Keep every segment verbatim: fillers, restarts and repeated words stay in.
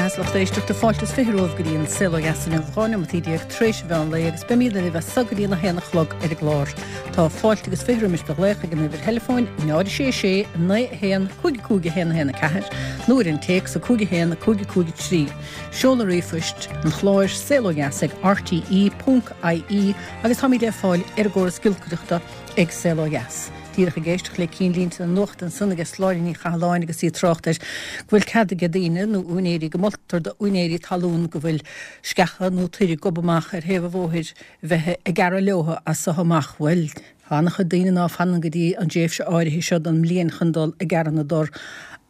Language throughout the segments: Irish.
Maith lucht éisteachta fáilte is fiche romhaibh go dtí an Saol Ó Dheas inniu dhá neomat déag tar éis an mheán lae agus beimid libh as so go dtí a haon a chlog ar an gclár. Tá fáilte agus fiche roimis do ghlaoch ag an uimhir theileafóin náid sé sé naoi haon cúig cúig haon haon a ceathair nó ar an téacs a cúig haon cúig cúig trí. Seoladh ríomhphoist an chláir saol ó dheas ag RTE ponc IE agus táimid ar fáil ar an gcóras giolcaireachta ag Saol Ó Dheas. Díreach ag éisteacht le cinnlínte na nuachta ansan aige Sláine Ní Chathalláin agus í ag trácht ar go bhfuil cead ag daoine nó úinéirí go moltar d'úinéirí talún go bhfuil sceacha nó toir ag gobadh amach ar thaobh an bhóthair bheith ag gearradh leo as so amach bhuel. Tá an-chuid daoine ná fanann go dtí an tréimhse áirithe seo den mbliain chun dul ag gearradh na dtor.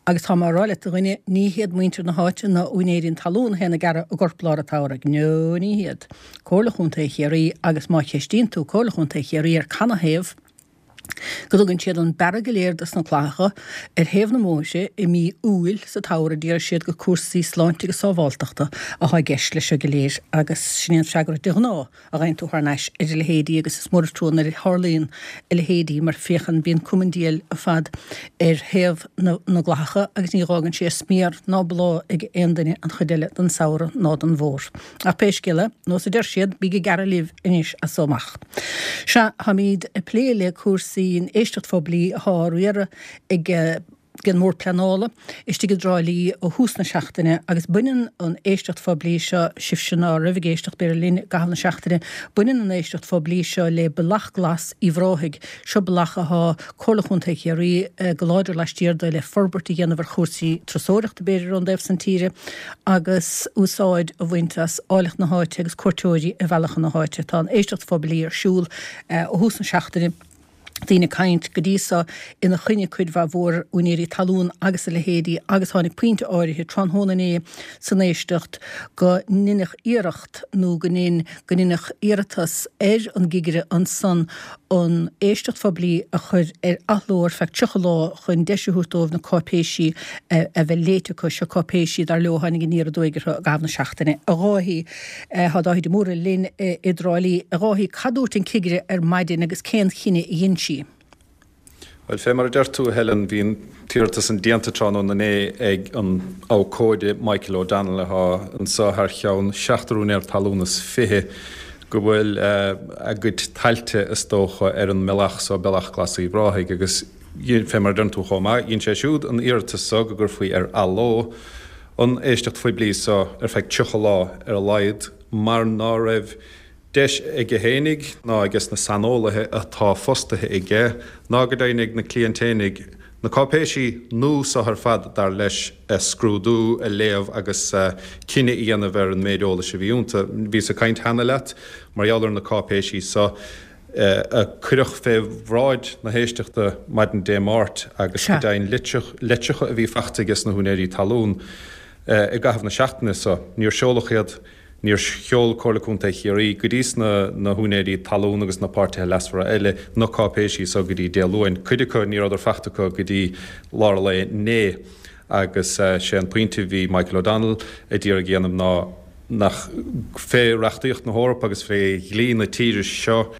Agus tá mé ag rá leat a dhuine ní hiad muintir na háite ná úinéirí an talún a théann ag gearradh a gcorp lár an tsamhraidh. No ní hiad. Comhairle Chontae Chiarraí agus má cheistíonn tú Comhairle Chontae Chiarraí ar canathaobh go dtugann siad an bearradh go léir dos na clathacha ar thaobh na mbóithre i mí Iúil sa tsamhradh déarfaidh siad gur cúrsaí sláinte agus sábháltachta atá i gceist leis seo go léir agus sin é an freagra de ghnáth a fhaigheann tú thar n-ais ar a leithéidí agus is mór an trua nuair a tharlaíonn a leithéidí mar féachann bíonn cuma an diabhail ar fad ar thaobh na na gclathacha agus ní dh'fhágann sé smior ná bláth ag aon duine an chuid eile den samhradh ná den bhfómhar. Ach pé scéal é, nós a deir siad, bíg ag gearradh libh anois as so amach. Sea, táimid ag plé le cúrsaí an éisteacht phoiblí atá á riaradh ag ag an mBord Pleanála istigh i dTrá Lí ó thús na seachtaine agus baineann an éisteacht phoiblí seo, sibhse ná raibh ag éisteacht b'fhéidir linn i gcaitheamh na seachtaine, baineann an éisteacht phoiblí seo le Bealach Glas Uíbh Ráthaigh. Seo bealach athá Comhairle Chontae Chiarraí go láidir laistiar de le forbairt a dhéanamh ar chúrsaí turasóireachta b'fhéidir ón dtaobh san tíre agus úsáid a bhaint as áilleacht na háite agus cuairteoirí a mhealladh chun na háite. Tá an éisteacht phoiblí ar siúl ó thús na seachtaine. Daoine ag caint go dtí so ina choinne, cuid mhaith mhór úinéirí talún agus a leithéidí agus tháinig pointe áirithe tráthnóna inné san éisteacht go ndeineadh iarracht nó go ndein go ndeineadh iarratas ar an gcigire ansan an éisteacht phoiblí a chur ar athló ar feadh tríocha lá chun deis a thabhairt dóibh na cáipéisí a bheith léite acu. Seo cáipéisí, dar leo, a tháinig aniar aduaidh orthu i gcaitheamh na seachtaine. A Dháithí, tá Dáithí de Mórdha linn i dTrá Lí. A Dháithí, cad dúirt an cigire ar maidin agus cén chinneadh a dhein sí? Bhuel, fé mar a deir tú, a Helen, bhí an t-iarratas san déanta tráthnóna inné ag an abhcóide Michael O'Donnell atá anso thar cheann seachtar úinéir talún is fiche go bhfuil a gcuid tailte, is dócha, ar an mbealach so, Bealach Glas Uíbh Ráthaigh, agus fé mar a deireann tú chomh maith, dhein sé siúd an iarratas so go gcuirfí ar athló an éisteacht phoiblí so ar feadh tríocha lá ar a laghad mar ná raibh deis aige fhéinig, ná aiges na saineolaithe atá fostaithe aige, ná go deimhin ag na cliaint fhéinig, na cáipéisí nua so ar fad, dar leis, a scrúdú, a léamh agus cinneadh a dhéanamh ar an méid eolais a bhí iontu. Bhíos ag caint cheana leat mar gheall ar na cáipéisí so a cuireadh fé bhráid na héisteachta maidin Dé Máirt agus go deimhin litreacha a bhí faighte aiges na húinéirí talún i gcaitheamh na seachtaine so. Níor seoladh iad. Níor sheol Comhairle Contae Chiarraí go dtí na húinéirí talún agus na páirtithe leasmhara eile na cáipéisí so go dtí Dé Luain. Cuid acu ní rabhadar faighte acu go dtí lár an lae inné agus sé an pointe a bhí Michael O'Donnell a d'iarraidh a dhéanamh ná nach fé reachtaíocht na hEorpa agus fé dhlí na tíre seo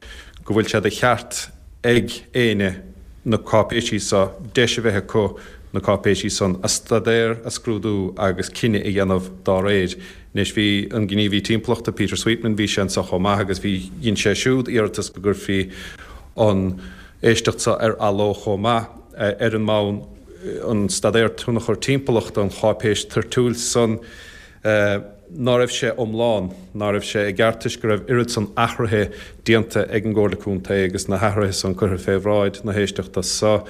go bhfuil sé de cheart ag éinne na cáipéisí so deis a bheith acu na cáipéisí san a staidéar, a scrúdú agus cinneadh a dhéanamh dá réir. Anois bhí an gníomhaí timpeallachta Peter Sweetman, bhí sé anso chomh maith agus bhí, dhein sé siúd iarratas go gcuirfí an éisteacht so ar athló chomh maith ar an mbonn an staidéar tionchar timpeallachta, an cháipéis toirtiúil san, ná raibh sé iomlán, ná raibh sé i gceart toisc go raibh oiread san athruithe déanta ag an gComhairle Contae agus na hathruithe san curtha fé bhráid na héisteachta so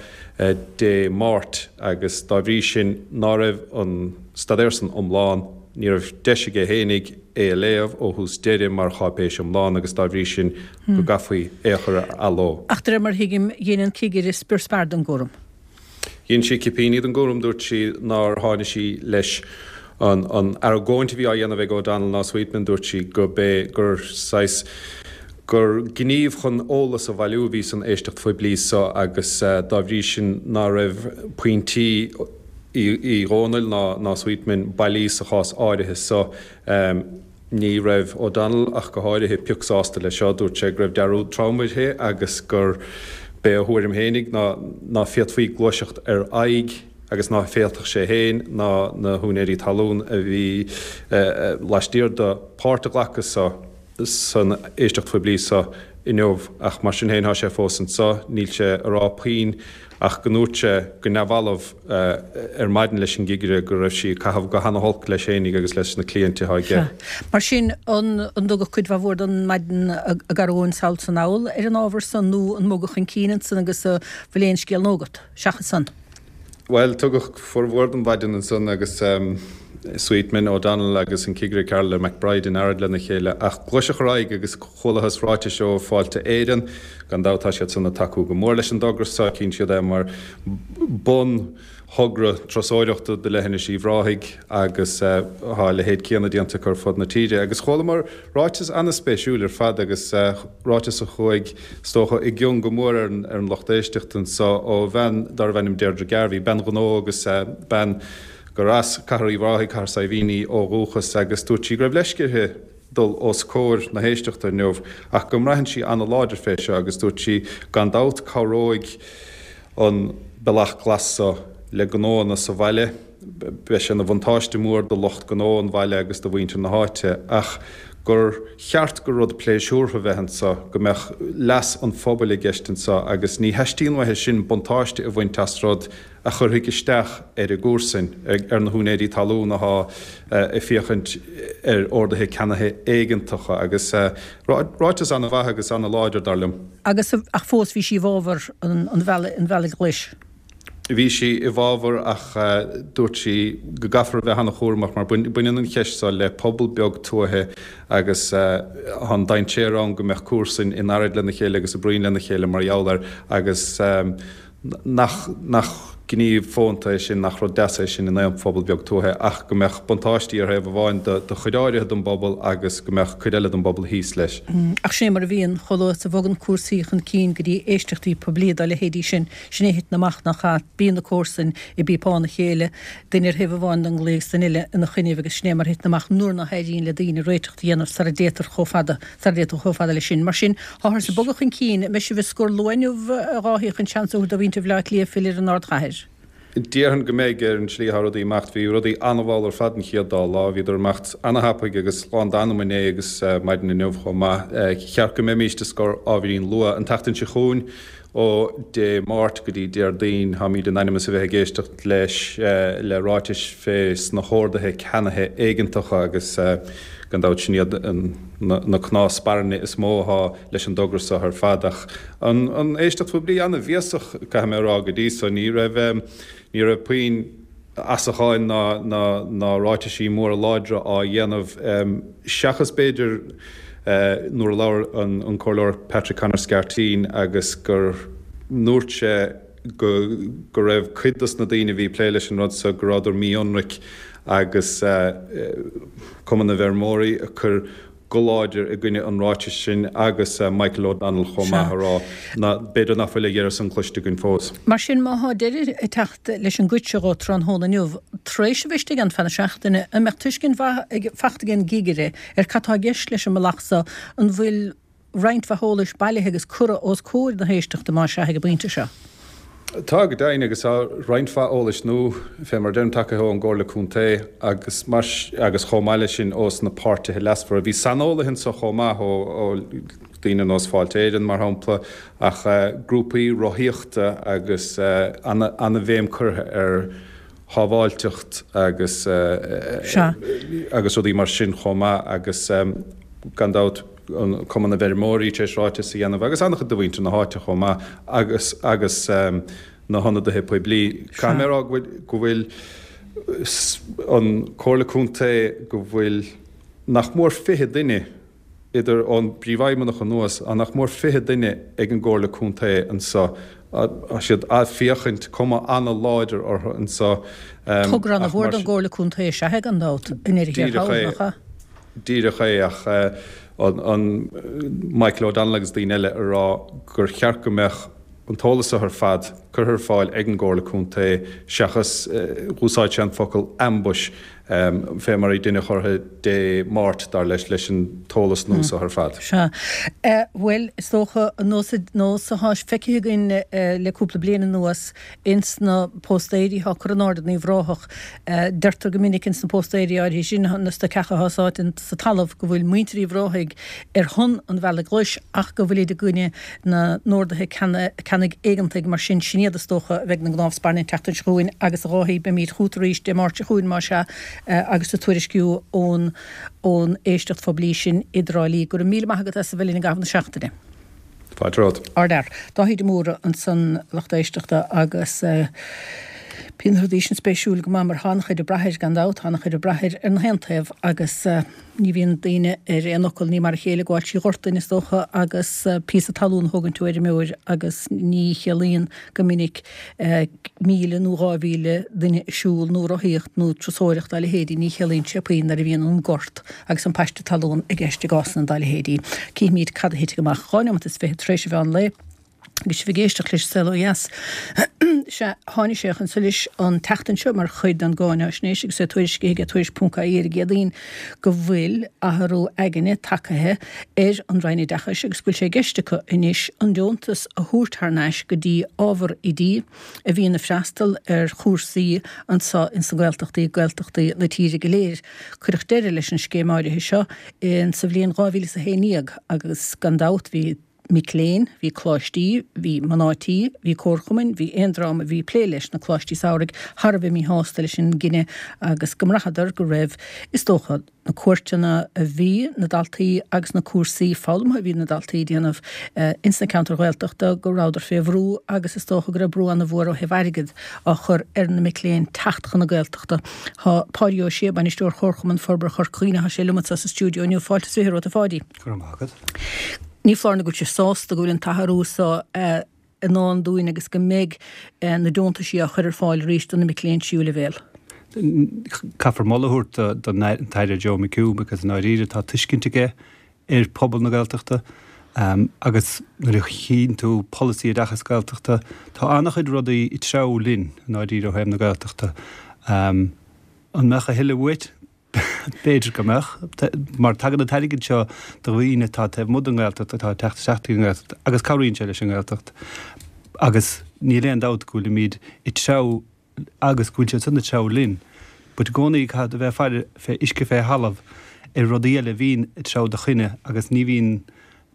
Dé Máirt agus dá bhrí sin ná raibh an staidéar san iomlán, ní raibh deis aige fhéinig é a léamh ó thús deireadh mar cháipéis iomlán agus dá bhrí sin go gcaithfí é a chur ar athló. Ach de réir mar a thuigim, dhein an cigire spior spear den gcúram. Dhein sí cipíní den gcúram, dúirt sí nár tháinig sí leis an an argóint a bhí á dhéanamh ag O'Donnell ná Sweetman, dúirt sí go b'é gur saghas gur gníomh chun eolas a bhailiú a bhí san éisteacht phoiblí so agus dá bhrí sin ná raibh pointí Uí Dhónaill ná ná Sweetman bailí sa chás áirithe so. Ní raibh O'Donnell ach go háirithe pioc sásta leis seo. Dúirt sé go raibh dearúd trom uirthi agus gur b'é a thuairim fhéinig ná ná féadfaí gluaiseacht ar aghaidh agus ná féadfadh sé féin ná na húinéirí talún a bhí laistiar de páirt a ghlacadh sa san éisteacht phoiblí seo inniu ach mar sin féin tá sé fós anseo, níl sé ag rá puinn ach go ndúirt sé go neamhbhalbh ar maidin leis an gcigire go raibh sí ag caitheamh go hana-holc leis fhéinig agus leis na cliaint atá aige. Mar sin, an dtugadh cuid mhaith mhór den mhaidin a gcaitheadh ann sall is anall ar an ábhar san nó an mbogadh chun cinn ansan agus an bhfuil aon scéal nua agat seachas san? Bhuel, tugadh formhór den mhaidin ansan agus Sweetman, O'Donnell agus an Cigire Carla McBride in earraid lena chéile ach gluaiseadh ar aghaidh agus chualathas ráitis ó Fáilte Éireann. Gan dabht tá siad san ag tacú go mór leis an dtogra seo, tchíonn siad é mar bun thogra turasóireachta do leithinis Uíbh Ráthaigh agus tá a leithéid céanna déanta acu ar fud na tíre. Agus chualamar ráiteas an-spéisiúil ar fad agus ráiteas a chuaigh, is dócha, i gcion go mór ar an lucht éisteachta anseo ó bhean darbh ainm Deirdre Garvey, bean ghnó agus bean gur as Cathair Uíbh Ráthaigh, Cathair Saidhbhín í ó dhúchas agus dúirt sí go raibh leisce uirthi dul os comhair na héisteachta inniu ach go mbraitheann sí ana-láidir fé seo agus dúirt sí gan dabht cabhróidh an Bealach Glas seo le gnóanna sa bhaile, beidh sé ina bhuntáiste mór do lucht gnó an bhaile agus do mhuintir na háite ach gur cheart gur rud pléisiúrtha a bheith anseo, go mbeadh leas an phobail i gceist anseo agus ní theastaíonn uaithi sin buntáiste a bhaint as rud a chuirfidh isteach ar a gcomharsain, ar na húinéirí talún athá ag féachaint ar orduithe ceannaithe éigeantacha agus ráiteas ana-mhaith agus ana-láidir, dar liom. Agus ach fós bhí sí i bhfabhar an bhealaigh ghlais. Bhí sí i bhfabhar ach dúirt sí go gcaithfear a bheith an-chúramach mar baineann an cheist seo le pobal beag tuaithe agus tá an dainséar ann go mbeadh comharsain in earraid lena chéile agus i bpruinn lena chéile mar gheall air agus nach nach gníomh fónta é sin, nach rud deas é sin in aon phobal beag tuaithe ach go mbeadh buntáistí ar thaobh amháin do chuid áirithe den bpobal agus go mbeadh cuid eile den bpobal thíos leis. Ach sin é mar a bhíonn, chomh luath is a bhogann cúrsaí chun cinn go dtí éisteachtaí poiblí dá leithéidí sin, sin é a thiteann amach, nach ea? Bíonn na comharsain i bpíopán a chéile, duine ar thaobh amháin den gclaí agus duine eile ina choinnibh agus sin é mar a thiteann amach nuair ná héiríonn le daoine réiteach a dhéanamh sara dtéitear chomh fada, sara dtéitear chomh fada leis sin. Mar sin, táthar ag bogadh chun cinn. An mbeidh sibh ag scor luath inniu, a Dháithí, chun seans a thabhairt do mhuintir Bhaile Átha Cliath filleadh ar an ardchathair? Déarfainn go mbeidh, ar an tslí atá rudaí ag imeacht. Bhí rudaí an-mhall ar fad an chéad dá lá. Bhíodar ag imeacht ana-thapaidh agus lán d'anam inné agus maidin inniu chomh maith. Cheart go mbeimíst ag scor ábhairín luath an tseachtain seo chugainn. Ó Dé Máirt go dtí Déardaoin táimid in ainm is a bheith ag éisteacht leis le ráitis fé sna horduithe ceannaithe éigeantacha agus gan dabht sin iad na cnámha spairne is mó athá leis an dtogra seo ar fad. Ach an éisteacht phoiblí ana-bhéasach, caithfidh mé a rá, go dtí so. Ní raibh ní raibh puinn asacháin ná ná ráitisí móra láidre á dhéanamh, seachas b'fhéidir nuair a labhair an Comhairleoir Patrick Conor Scarteen agus gur ndúirt sé go go raibh cuid dos na daoine a bhí ag plé leis an rud so go rabhadar mí-ionraic agus Cumann na bhFeirmeoirí ag cur go láidir i gcoinne an ráitis sin agus Michael O'Donnell chomh maith a rá ná b'fhéidir nach bhfuil a dheireadh san cloiste againn fós. Mar sin, má thá deireadh ag teacht leis an gcuid seo dhó tráthnóna inniu, tar éis a bheith istigh ann feadh na seachtaine, an mbeadh tuiscint mhaith fachta ag an gcigire ar cad tá i gceist leis an mbealach so? An bhfuil roinnt mhaith eolais bailithe agus curtha os comhair na héisteachta, más ea, ag an bpointe seo? Tá, go deimhin, agus tá roinnt mhaith eolais nua, fé mar a deirim, tagaithe ón gComhairle Contae agus mar agus chomh maith leis sin ós na páirtithe leasmhara. Bhí saineolaithe anso chomh maith ó ó daoine ar nós Fáilte Éireann, mar shampla, ach grúpaí rothaíochta agus ana ana-bhéim curtha ar shábháilteacht agus agus rudaí mar sin chomh maith agus gan dabht an Cumann na bhFeirmeoirí tar éis ráiteas a dhéanamh agus an-chuid de mhuintir na háite chomh maith agus agus na hionadaithe poiblí. Caithfidh mé a rá go bhfuil go bhfuil an Comhairle Contae go bhfuil nach mór fiche duine idir ón bPríomhfheidhmeannach anuas, tá nach mór fiche duine ag an gComhairle Contae anso. Tá siad a' féachaint, cuma ana-láidir orthu anso. Togra ana-mhór don gComhairle Contae is ea é gan dabht, i ndeireadh thiar Díreach thall, é. nach ea? Díreach é, ach an Michael O'Donnell agus daoine eile a rá gur cheart go mbeadh an t-eolas seo ar fad curtha ar fáil ag an gComhairle Contae seachas, dh'úsáid sé an focal ambush, fé mar a deineadh orthu Dé Máirt, dar leis, leis an t-eolas nua seo ar fad. Sea. Bhuel, is dócha, an nós, nós atá feicthe againn le cúpla bliain anuas ins na póstaeirí atá curtha in airde in Uíbh Ráthach, deirtear go minic ins na póstaeirí áirithe sin, na stoiceacha atá sáite sa talamh, go bhfuil muintir Uíbh Ráthaigh ar shon an Bhealaigh Ghlais ach go bhfuilid i gcoinne na n-orduithe ceannaigh éigeantaigh. Mar sin, sin iad is dócha a bheidh ina gcnámh spairne an tseachtain seo chugainn agus a Dháithí, beimid chugat arís Dé Máirt seo chugainn más ea agus tú ag tuairisciú ón ón éisteacht phoiblí sin i dTrá Lí. Go raibh míle maith agat as a bheith linn i gcaitheamh na seachtaine. Fáilte romhat. Ardfhear. Dáithí de Mórdha ansan, lucht éisteachta agus bíonn na rudaí sin spéisiúil go maith mar tá an-chuid ag brath air, gan dabht, tá an-chuid ag brath air ar na haon taobh agus ní bhíonn daoine ar aon fhocal, ní mar a chéile gabháil trí ghort duine is dócha agus píosa talún a thógaint ó fheirmeoir agus ní chiallaíonn go minic míle nó dhá mhíle duine ag siúl nó rothaíocht nó turasóireacht dá leithéidí, ní chiallaíonn sé puinn nuair a bhíonn an gort agus an paiste talún i gceist i gcásanna dá leithéidí. Cífimid cad a thitfidh amach. Dhá neomat is fiche tar éis an mheán lae agus sibh ag éisteacht leis Saol Ó Dheas. Sea, tháinig sé chun solais an tseachtain seo mar chuid den gcáináisnéis agus é tuairiscithe ag Tuairisc ponc ie ar an gCéadaoin go bhfuil athrú aigne tagtha ar an Roinn Oideachais agus go bhfuil sé i gceist acu anois an deontas a thabhairt thar n-ais go dtí ábhar oidí a bhíonn ag freastal ar chúrsaí anseo ins na Gaeltachtaí, Gaeltachtaí na tíre go léir. Cuireadh deireadh leis an scéim áirithe seo in sa bhliain dhá mhíle is a haon déag agus gan dabht bhí mic léinn, bhí coláistí, bhí mná tí, bhí comharchumainn, bhí aon dream a bhí ag plé leis na coláistí samhraidh thar a bheith míshásta leis an gcinneadh agus go mbraitheadar go raibh, is dócha, na cuairteanna a bhí na daltaí agus na cúrsaí foghlamtha a bhí na daltaí ag déanamh ins na ceantair Ghaeltachta, go rabhadar fé bhrú agus is dócha go raibh brú ana-mhór ó thaobh airgid á chur ar na mic léinn teacht chun na Gaeltachta. Tá Páidí Ó Sé, Bainisteoir Chomharchumann Forbartha Chorca Dhuibhne, tá sé liom anseo sa stiúideo inniu. Fáilte is fiche romhat, a Pháidí. Go raibh maith agat. Ní foláir nó go bhfuil sibh sásta go bhfuil an t-athrú seo i ndán dúinn agus go mbeidh na deontaisí á chur ar fáil arís do na mic léinn tríú leibhéal. Caithfear moladh a thabhairt don tAire Joe McHugh because i ndáiríre tá tuiscint aige ar phobal na Gaeltachta agus nuair a chíonn tú polasaí oideachais Gaeltachta tá an-chuid rudaí ag treabhadh linn i ndáiríre ó thaobh na Gaeltachta. An mbeadh a thuilleadh uait? B'fhéidir go mbeadh, mar tagann an t-airgead seo do dhaoine atá taobh amuigh den nGaeltacht atá ag teacht isteach chuig an nGaeltacht agus cabhraíonn sé leis an nGaeltacht. Agus níl aon dabht go bhfuilimid ag treabhadh agus go bhfuil siad san ag treabhadh linn. But i gcónaí caithfidh tú a bheith ag faire fé uisce fé thalamh ar rudaí eile a bhíonn ag treabhadh do choinne agus ní bhíonn,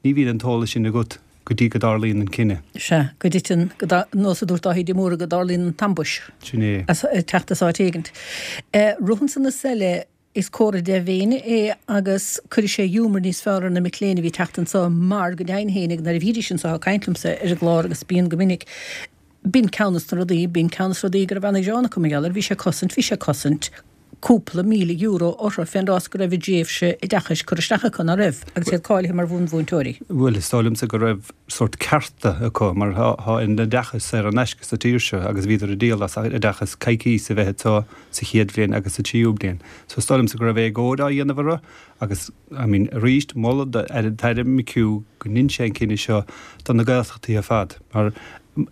ní bhíonn an t-eolas sin agat go dtí go dtarlaíonn an cinneadh. Sea, go dtiteann, go dtar, nós a dúirt Dáithí de Mórdha, go dtarlaíonn an t-ambush. Sin é. As, ag teacht as áit éigint. Rud ansan is eile, is comhartha dea-mhéine é agus cuirfidh sé giúmar níos fearr ar na mic léinn a bhí ag teacht anso mar go deimhin fhéinig nuair a bhídís anso ag caint liomsa ar an gclár agus bíonn go minic, b'in ceann des na rudaí, b'in ceann des na rudaí go raibh ana-ghearán acu mar gheall air, bhí sé ag cosaint, bhí sé ag cosaint. cúpla míle euro orthu fén rás go raibh a dtréimhse oideachais curtha isteach acu, ná raibh, agus iad cáilithe mar bhunmhúinteoirí. Bhuel, is dóigh liomsa go raibh sórt cearta acu, mar tá an oideachas saor in aisce sa tír seo agus bhíodar ag díol as oideachas coicís a bheith anseo sa chéad bhliain agus sa tríú bliain. So is dóigh liomsa go raibh éagóir á dhéanamh orthu agus, I mean, arís, moladh don tAire McHugh go ndein sé an cinneadh seo do na Gaeltachtaí ar fad, mar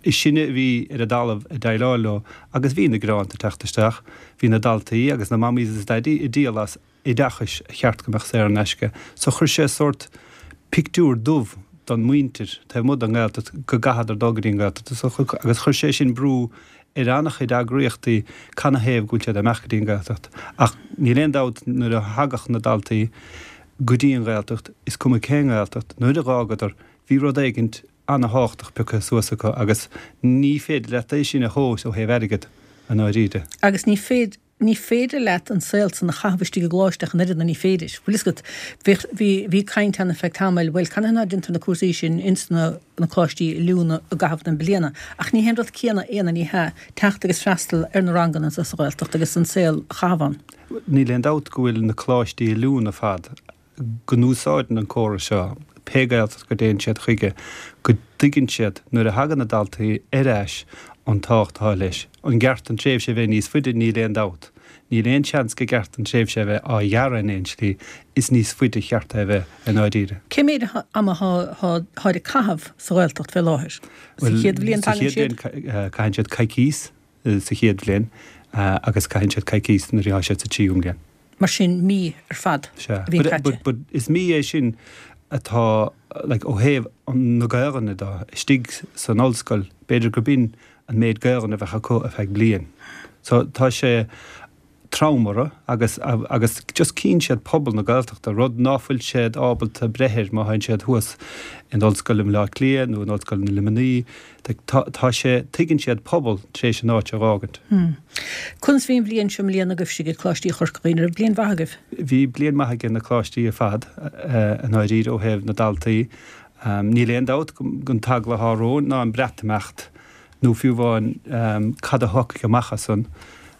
is sinne a bhí ar an dtalamh ag déileáil leo agus bhí na gearáin ag teacht isteach, bhí na daltaí agus na mamaís is daidí ag díol as oideachais a cheart go mbeadh saor in aisce. So chuir sé sórt pictiúr dubh don mhuintir taobh amuigh den nGaeltacht go gcaithfeadar dul go dtí an Ghaeltacht agus chuir sé sin brú ar an-chuid eagraíochtaí canathaobh go bhfuil siad ag imeacht go dtí an Ghaeltacht. Ach níl aon dabht nuair a thagadh na daltaí go dtí an Ghaeltacht, is cuma cén Ghaeltacht, nuair a dh'fhágadar, bhí rud éigint ana-thábhachtach pioctha suas acu agus ní féidir leat é sin a thomhas ó thaobh airgid, i ndáiríre. Agus ní féidir, ní féidir leat an saol san a chaitheamh istigh i gcoláiste ach an oiread, nó ní féidir. Bhfuil fhios agat, bhíodh, bhí, bhí caint ann ar feadh tamaill, bhuel, canathaobh ná déantar na cúrsaí sin ins na, na coláistí oiliúna i gcaitheamh na bliana. Ach ní hé an rud céanna é, nó ní hea, teacht agus freastal ar na ranganna anso sa Ghaeltacht agus an saol a chaitheamh ann. Níl aon dabht go bhfuil na coláistí oiliúna ar fad go n-úsáideann an córas seo, pé Gaeltacht go dtéann siad chuige, go dtuigeann siad nuair a thagann na daltaí ar ais an tábhacht atá leis. An gceart an tréimhse a bheith níos faide? Níl aon dabht. Níl aon seans go gceart an tréimhse a bheith á ghearradh in aon slí, is níos faide a cheart é a bheith i ndáiríre. Cé méid ama atáid ag caitheamh sa Ghaeltacht fé láthair? Sa chéad bhliain tagann siad? Sa chéad bhliain caitheann siad coicís sa chéad bhliain agus caitheann siad coicís nuair atá siad sa tríú bliain. Mar sin mí ar fad Sea. a bhí But, caite. but, but is mí é sin atá like, ó thaobh na Gaelainne de istigh san ollscoil, b'fhéidir go b'in an méid Gaelainne a bheadh acu ar feadh bliain. So tá sé trom orthu agus agus just cíonn siad pobal na Gaeltachta rud ná fuil siad ábalta breith air má théann siad thuas in ollscoil i mBleá Cliath nó in ollscoil na Luimnigh tá tá sé tuigeann siad pobal tar éis an áit a fhágaint. Hmm. Conas bhí an bhliain seo i mbliana agaibhse ag Coláistí Chorca Dhuibhne, raibh bliain mhaith agaibh? Bhí bliain maith ag na coláistí ar fad i ndáiríre ó thaobh na daltaí. Um, níl aon dabht gon t-eagla atá romhainn ná an Breatimeacht nó fiú amháin um, cad a thiocfaidh amach as san.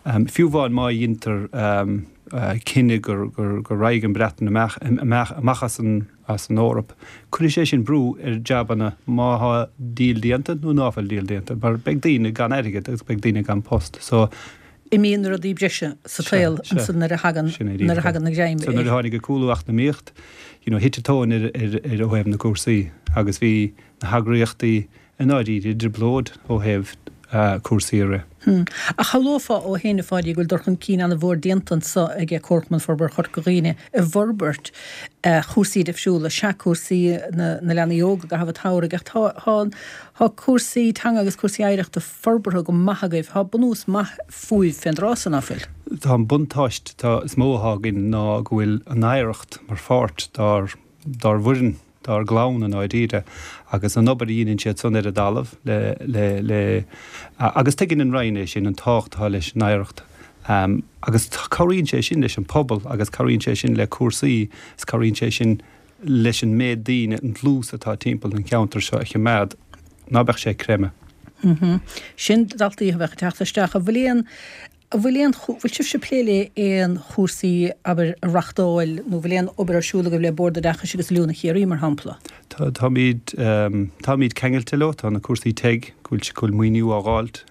Um, fiú amháin má dhéantar um, uh, cinneadh gur, gur, gur raghaidh an Breatain amach, amach, amach as an, as an Eoraip. Cuirfidh sé sin brú ar jabanna má tá deal déanta nó ná fuil deal déanta, mar beidh daoine gan airgead agus beidh daoine gan post. So, Imíonn rudaí breise sa tsaol ansan nuair a thagann nuair a thagann na greim. So nuair a tháinig an cúlú eacnamaíocht, you know, thit an tóin ar, ar, ar ó thaobh na cúrsaí agus bhí na heagraíochtaí i ndáiríre i dtrioblóid ó thaobh uh, cúrsaí a rith. Hmm. Ach shamhlófá ó shin a Pháidí go bhfuil dul chun cinn an-mhór déanta anso ag Comharchumann Forbartha Chorca Dhuibhne i bhforbairt uh, chúrsaí difriúla, sea cúrsaí na, na leanaí óga i gcaitheamh an tsamhraidh ach tá, tá, tá cúrsaí teanga agus cúrsaí oidhreachta forbartha go maith agaibh, tá bunús maith fúibh fén dtráth san ná fuil. Tá an buntáiste tá is mó atá againn ná go bhfuil an oidhreacht mar pháirt dár dár bhfoireann dár gclann i ndáiríre agus an obair a dhéanann siad san ar an dtalamh le le le agus tuigeann an Roinn é sin an tábhacht atá leis an oidhreacht. Um, agus cabhraíonn sé sin leis an pobal agus cabhraíonn sé sin le cúrsaí is cabhraíonn sé sin leis an méid daoine an dlús atá timpeall an cheantar seo a choimeád ná beadh sé ag creimeadh. Mm -hmm. Sin daltaí a bheadh ag teacht isteach a bhfuil aon An bhfuil aon, bhfuil sibhse ag plé le aon chúrsaí, abair, a reachtáil nó bhfuil aon obair ar siúl agaibh le Bord Oideachais agus Oiliúna Chiarraí, mar shampla? Tá, táimid, táimid ceangailte leo, tá na cúrsaí TEG, go bhfuil, go bhfuil maoiniú á dh'fháilt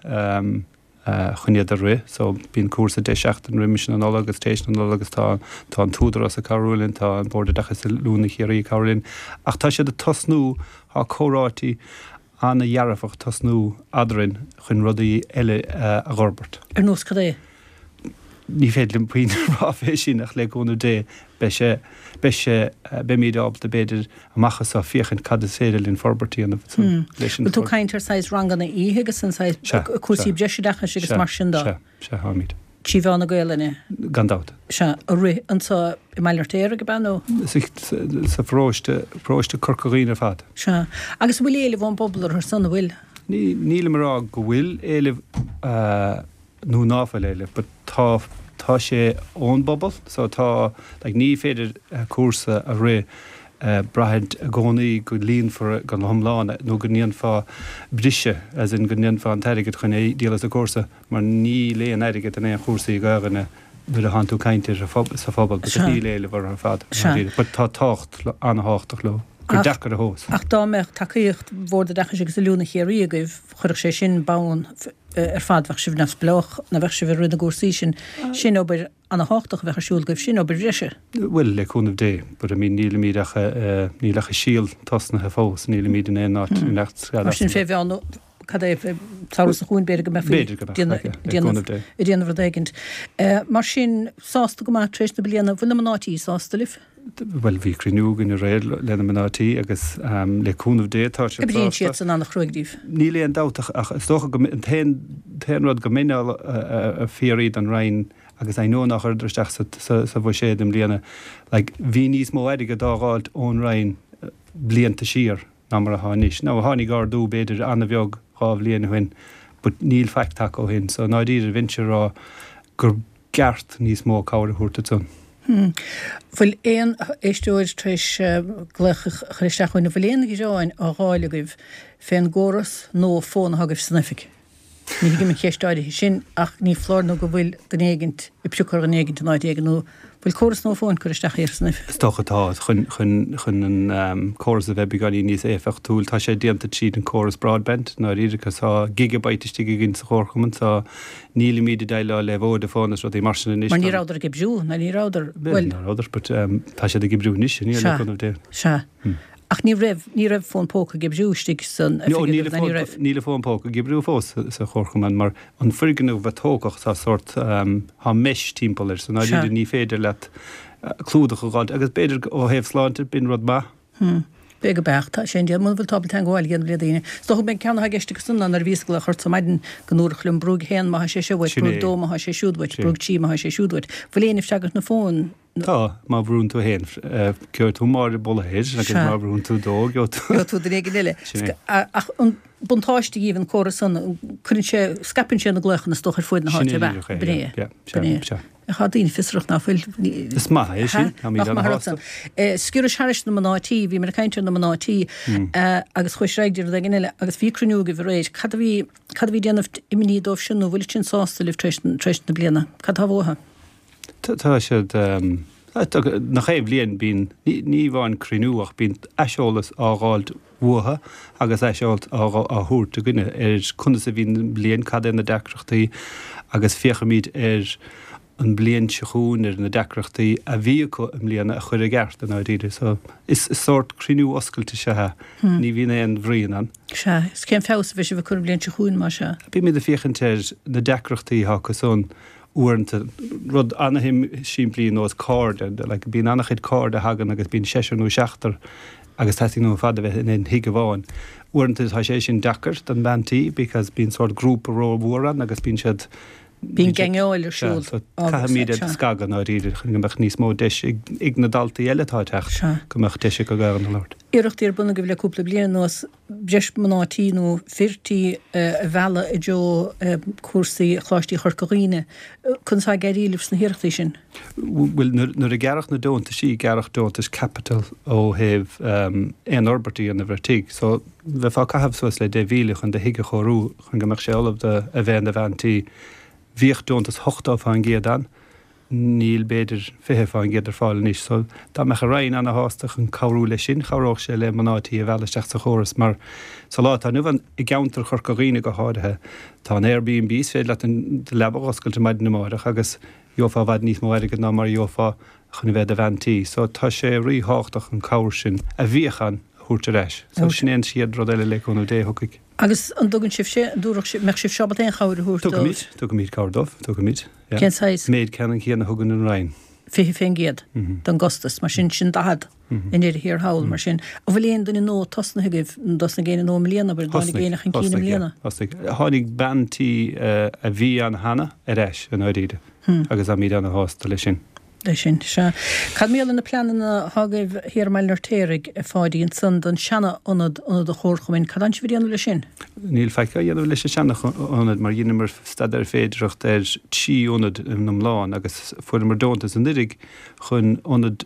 chun iad a rith, so bíonn cúrsa deich seachtain roimis na Nollag agus tar éis na Nollag agus tá, tá an tÚdarás ag cabhrú linn, tá an Bord Oideachais Oiliúna Chiarraí ag cabhrú linn, ach tá siad ag tosnú, tá comhráití ana-dhearfach ag tosnú eadrainn chun rudaí eile a dh'fhorbairt. Ar nós cad é? Ní féidir liom puinn a rá fé sin ach le cúnamh Dé beidh sé, beidh sé, beimid ábalta b'fhéidir amach anseo féachaint cad is féidir linn forbairt a dhéanamh leis an. Bhfuil tú ag caint ar saghas ranganna oíche agus an saghas cúrsaí breisoideachais agus mar sin de? Sea, sea, táimid. Trí mheán na Gaelainne? Gan dabht. Sea, a rith anseo i mBaile an Fheirtéaraigh, ab ea, nó? Sa pharóiste, paróiste Corca Dhuibhne ar fad. Sea. Agus an bhfuil éileamh ón bpobal orthu san, an bhfuil? Ní, nílim ag rá go bhfuil éileamh nó ná fuil éileamh, but tá, tá sé ón bpobal, so tá, like, ní féidir cúrsa a rith braithint i gcónaí go líonfar go hiomlán nó go ndéanfá briseadh, as in go ndéanfá an t-airgead chun é díol as an gcúrsa, mar níl aon airgead in aon chúrsaí Gaelainne nuair a thánn tú ag caint ar sa phobal because níl éileamh orthu ar fad, but tá tábhacht an-thábhachtach leo, gur deacair a thomhas. Ach dá mbeadh tacaíocht Bhord Oideachais agus Oiliúna Chiarraí agaibh, chuirfeadh sé sin bonn ar fad, bheadh sibh neamhspleách, nó bheadh sibh ag rith na gcúrsaí sin, sin obair ana-thábhachtach a bheadh ar siúl agaibh, sin obair bhreise. Bhuel, le cúnamh Dé, but I mean nílimid ach, níl ach an síol tosnaithe fós, nílimid in aon áit, in aon Mar sin fé mheán, cad é, samhradh seo chugainn b'fhéidir go mbeifí B'fhéidir go mbeadh, le cúnamh Dé. ag déanamh rud éigint. Mar sin, sásta go maith tar éis na bliana, bhfuil na mná tí sásta libh? Bhuel, bhí cruinniú againn aréir le na mná tí agus le cúnamh Dé tá siad sásta. Oibríonn siadsan an-chruaidh daoibh. Níl aon dabht ach is dócha go an t-aon t-aon rud go mbeinn ag fiafraí den Roinn agus I know nár chuireadar isteach sa sa bhuiséad i mbliana, like bhí níos mó airgead á dh'fháilt ón Roinn blianta siar ná mar atá anois. Now tháinig ardú b'fhéidir an-bheag dhá bhliain ó shin but níl faic tagtha ó shin so i ndáiríre bheinnse ag rá gur gceart níos mó cabhair a thabhairt ansan. Bhfuil aon éisteoir tar éis glaoch a chur isteach chugainn? An bhfuil aon ghearáin á dh'fháil agaibh fén gcóras nua fóin atá agaibh san oifig? Ní thuigim an cheist áirithe sin ach ní foláir nó go bhfuil duine éigint ag priocadh ar dhuine éigint in áit éigin nó bhfuil córas nua fóin curtha isteach thiar san oifig? Is dócha atá, chun, chun, chun an córas a bheith beagáinín níos éifeachtúil. Tá sé déanta tríd an córas broadband, i ndáiríre, 'cause tá gigabyte istigh againn sa chomharchumann, so Nílimid ag déileáil le Vodafone is rudaí mar sin anois. Mar ní rabhadar ag oibriú, nó ní rabhadar, bhuel. Ní rabhadar, but tá siad ag oibriú anois, le cúnamh Dé. Sea, sea. Ach ní raibh, ní raibh fón póca ag oibriú istigh san No, oifig níl agaibh, ná ní raibh? Níl a fón póca ag oibriú fós sa chomharchumann mar an foirgneamh a tógadh tá sórt, tá mesh timpeall air so i ndáiríre ní féidir leat clúdach a dh'fháilt agus b'fhéidir ó thaobh sláinte b'in rud maith. Hmm. B'fhéidir go beacht. Tá sé indéanta. Muna bhfuil tú ábalta teagmháil a dhéanamh le daoine. Is dócha go mbeidh ceann atá i gceist acu san ná nuair a bhíos ag glaoch ort ar maidin go ndúradh liom brúigh a haon má tá sé seo uait, Sin brúigh é. dó má tá sé siúd uait, Sin. brúigh trí má tá sé siúd uait. Bhfuil éinne ag freagairt na fóin? Tá, má bhrúnn tú a haon, gheobhaidh tú Máire Bolaire agus Sea. má bhrúnn tú dó, gheobhaidh tú. Gheobhaidh tú duine éigin eile. Sin é. Ach an buntáiste dhíobh an córas san, cuireann sé, scaipeann sé na glaochanna is dócha ar fuaid na Sin háite, é ab ea? díreach é, B'in é. yeah, yeah, sea, B'in é. sea. Tá daoine fiosrach ná fuil. Is maith é sin, táimid Nach maith an rud an-shásta. san. Sciorrais thairis na mná tí, bhíomar ag caint ar na mná tí agus chuais ar aghaidh go dtí rud éigin eile agus bhí cruinniú agaibh aréir. Cad a bhí, cad a bhí ag déanamh imní dóibh sin nó bhfuil siad sásta libh tar éis, tar éis na bliana? Cad tá uathu? Tá siad, nach aon bhliain bíonn, ní amháin cruinniú ach bíonn aiseolas á dh'fháilt uathu agus aiseolas á thabhairt againne ar conas a bhí an bhliain, cad é na deacrachtaí agus féachaimid ar an mbliain seo chugainn ar na deacrachtaí a bhí acu i mbliana a chur i gceart i ndáiríre. So is sórt cruinniú oscailte is ea é. Ní bhíonn aon bhruíon ann. Sea, is cén feabhas a bheidh sibh ag cur an bhliain seo chugainn, más ea? Bímid ag féachaint ar na deacrachtaí atá acu san uaireanta, rud an-simplí nós cairde, like bíonn an-chuid cairde a thagann agus bíonn seisear nó seachtar agus teastaíonn uathu ar fad a bheith in aon thigh amháin. Uaireanta tá sé sin deacair don bhean tí because bíonn sórt grúpa rómhór ann agus bíonn siad Bíonn geaingeáil ar siúl. So caithfimid iad a scagadh i ndáiríre chun go mbeadh níos mó deis ag na daltaí eile atá ag teacht, go mbeadh deis acu Gaeilge a labhairt. Iarrachtaí ar bun agaibh le cúpla bliain anuas breis mná tí nó fir tí a mhealladh i dtreo cúrsaí Choláistí Chorca Dhuibhne. Conas atá ag éirí libh sna hiarrachtaí sin? Bhuel, nuair a gearradh na deontaisí, gearradh deontais caipitil ó thaobh aon fhorbairt a dhéanamh ar tigh. So bheifeá ag caitheamh suas le deich mhíle chun do thigh a chóiriú chun go mbeadh sé ullamh do a bheith ina bhean tí. Bhíodh deontas ochtó fán gcéad ann, níl b'fhéidir fiche fán gcéad ar fáil anois. So dá mbeadh an Roinn ana-shásta chun cabhrú leis sin, chabhródh sé le mná tí a mhealladh isteach sa chóras mar sa lá atá inniu ann, i gceantar Chorca Dhuibhne go háirithe, tá an Airbnb, is féidir leat do leaba a dh'oscailt ar maidin amáireach agus gheofá i bhfad níos mó airgid ná mar a gheofá chun a bheith i do bhean tí. So tá sé ríthábhachtach an cabhair sin a bhíodh ann a thabhairt ar ais. So sin é an chéad rud eile le cúnamh Dé a thiocfaidh. Agus an dtugann sibhse, an dtabharfadh sibh, mbeadh sibh ábalta aon chabhair a thabhairt dóibh? Tugaimid, tugaimid cabhair dóibh, tugaimid, yeah. Cén saghas? Méid ceannann céanna a thugann an Roinn. fiche fén gcéad den gcostas, mar sin, sin daichead i ndeireadh thiar thall, mar sin. An bhfuil aon duine nua tosnaithe agaibh, an dtosnaigh éinne nua i mbliana, abair, an dtáinig éinne chun cinn i mbliana? Thosaigh, thosaigh. Tháinig bean tí a bhí ann cheana ar ais, i ndáiríre, agus táimid ana-shásta leis sin. Leis sin, sea. Cad mar gheall ar na pleananna atá agaibh thiar i mBaile an Fheirtéaraigh, a Pháidí, ansan don seana-ionad, ionad an Chomharchumainn, cad tánn sibh a dhéanamh leis sin? Níl faic á dhéanamh leis an seana-ionad mar dheineamar staidéar féidearthachta ar trí ionad in iomlán agus fuaireamar deontas anuraidh chun ionad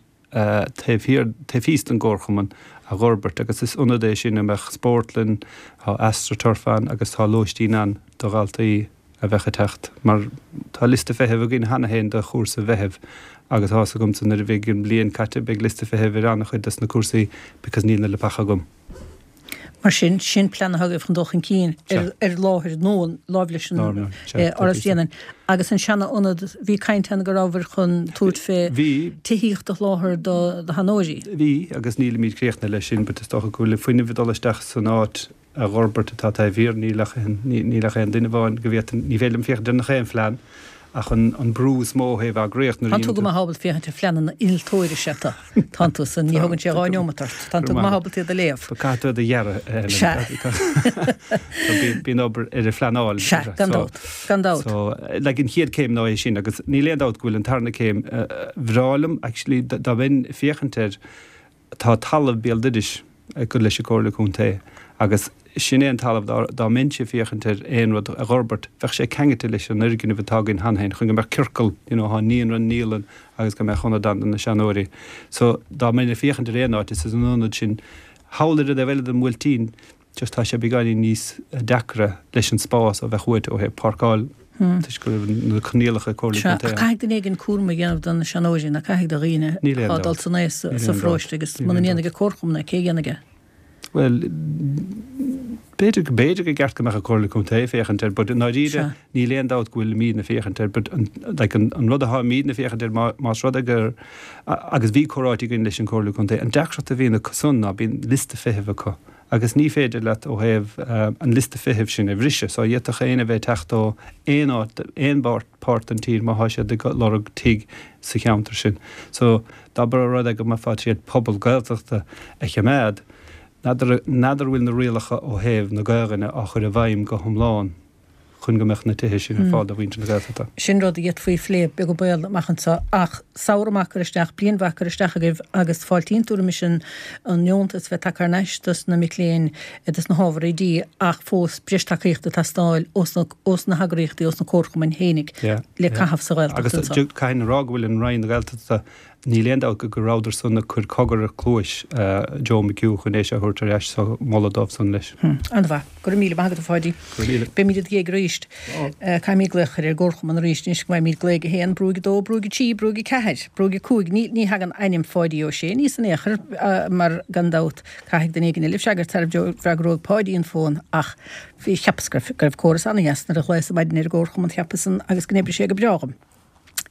taobh thiar, taobh thíos den gComharchumann a dh'fhorbairt agus is ionad é sin a mbeadh spórtlann, tá astroturf ann agus tá lóistín ann do dhaltaí a bheadh ag teacht mar tá liosta feithimh againn cheana féin do chúrsa Mheithimh agus tá's agamsa nuair a bheidh an bhliain caite beidh liosta feithimh ar an-chuid dos na cúrsaí because níl na leapacha agam. Mar sin, sin plean atá agaibh chun dul chun cinn ar ar láthair nua láimh leis an Áras Bhréanainn. Agus an seana-ionad, bhí caint ann go rabhabhair chun tabhairt fé tithíocht a sholáthar do sheanóirí. Bhí, agus nílimid críochnaithe leis sin but is dócha go bhfuil fuinneamh ag dul isteach san áit a dh'fhorbairt atá taobh thiar, níl ach aon, níl ach aon duine amháin go bhféadfainn, ní féidir liom féachaint ar nach aon phlean ach an, an brú is mó ó thaobh eagraíocht nuair a Tánn tú go dhéanann tú. maith ábalta féachaint ar phleananna innealtóirí is ea tú, tánn tú san, ní thógann sé dhá neomat ort, tánn tú go maith ábalta iad a léamh. Ba caithfidh tú iad a dhearadh, a Helen. Sea. So bíonn, bíonn obair ar an phleanáil. Sea, gan So, dabht, gan dabht. so, like an chéad céim ná é sin agus níl aon dabht go bhfuil an tarna céim, bhreá liom actually dá mbeinn ag féachaint air, Tá talamh béal dorais ag dul leis an Comhairle Contae agus sin é an talamh dá dá mbeinnse ag féachaint ar aon rud a dh'fhorbairt bheadh sé ceangailte leis an fhoirgneamh atá againn cheana féin chun go mbeadh ciorcal you know thá naíonra, an naíolann agus go mbeadh ionad ann do na seanóirí. So dá mbeinn ag féachaint ar aon áit is san ionad sin thall ar an dtaobh eile den Bhuailtín just tá sé beagáinín níos deacra leis an spás a bheadh uait ó thaobh páirceáil toisc go raibh na coinníollacha ag Comhairle Sea, Contae ach ann. caithfidh duine éigin cúram a dhéanamh do na seanóirí, nó caithfidh do dhaoine Níl aon atá ag dul dabht. san aos Níl sa aon dabht. pharóiste agus Níl muna aon ndéanfaidh dabht. an comharchumann é, cé a dhéanfaidh é? Well, b'fhéidir b'fhéidir go gceart go mbeadh an Comhairle Contae féachaint air, but ndáiríre níl aon dabht go bhfuilimidne féachaint air, but an, like, an, an rud atáimidne féachaint air más rud é gur agus bhí comhráite againn leis an Comhairle Contae, an deacracht a bhíonn acu san ná bíonn liosta feithimh acu agus ní féidir leat ó thaobh uh, an liosta feithimh sin a bhriseadh, so d'fhéadfadh éinne bheith teacht ó aon áit aon páirt den tír má tá siad ag lorg tigh sa cheantar sin. So dá mba rud é go mbeifeá ag pobal Gaeltachta a choimeád, n'fheadar bhfuil na rialacha ó thaobh na Gaeilge á chur i bhfeidhm go hiomlán chun go mbeadh na tithe sin ar fáil do mhuintir na Gaeltachta. Sin rud a d'fhéadfaí a phlé beag béal amach anseo ach samhradh maith curtha isteach, bliain mhaith curtha isteach agaibh agus fáiltíonn tú roimis an an deontas bheith tagtha thar n-ais dos na mic léinn dos na hábhair oidí ach fós breis tacaíochta ag teastáil ós na ós na heagraíochtaí ós na comharchumainn fhéinig le caitheamh sa Ghaeltacht Agus anseo. caithfidh a rá go bhfuil an Roinn na Gaeltachta níl aon dabht go rabhadar san ag cur cogar ar chluais Joe McHugh chun é seo a thabhairt ar ais so moladh dóibh san leis. An-mhaith. Go raibh míle maith agat a Pháidí. Beimid id dhiaidh arís. Caithfimid glaoch ar an gcomharchumann arís anois go mbeimid glaoigh a haon, brúigh a dó, brúigh a trí, brúigh a ceathair, brúigh a cúig. Ní ní thagann ainm Pháidí Ó Sé aníos in aon chor mar gan dabht caithfidh duine éigin eile freagairt sara bhfreagróidh Páidí an fón ach bhí cheapas go raibh go raibh córas an-dheas nuair a ghlaos maidin ar an gcomharchumann cheapas an agus go n-oibrigh sé go breá dhom.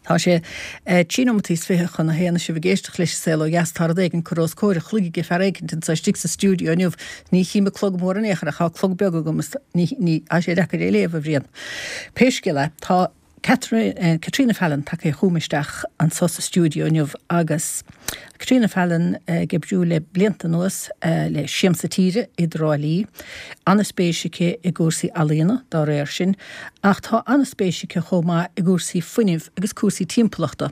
Tá sé trí nóimeataí is fiche chun a haon sibh ag éisteacht leis an Saol Ó Dheas tá rud éigin curtha os comhair a chloig ag fear éicint anseo istigh sa stiúideo inniu. Ní chím an clog mór in aon chor ach tá clog beag agam is ní ní tá sé deacair é a léamh a Bhriain. Pé scéal é tá Catherine, Caitríona Fallon tagtha chugam isteach anseo sa stiúideo inniu agus Caitríona Fallon ag oibriú le blianta anuas le Siamsa Tíre i dTrá Lí. An-spéis aici i gcúrsaí ealaíona dá réir sin, ach tá an-spéis aici chomh maith i gcúrsaí fuinnimh agus cúrsaí timpeallachta,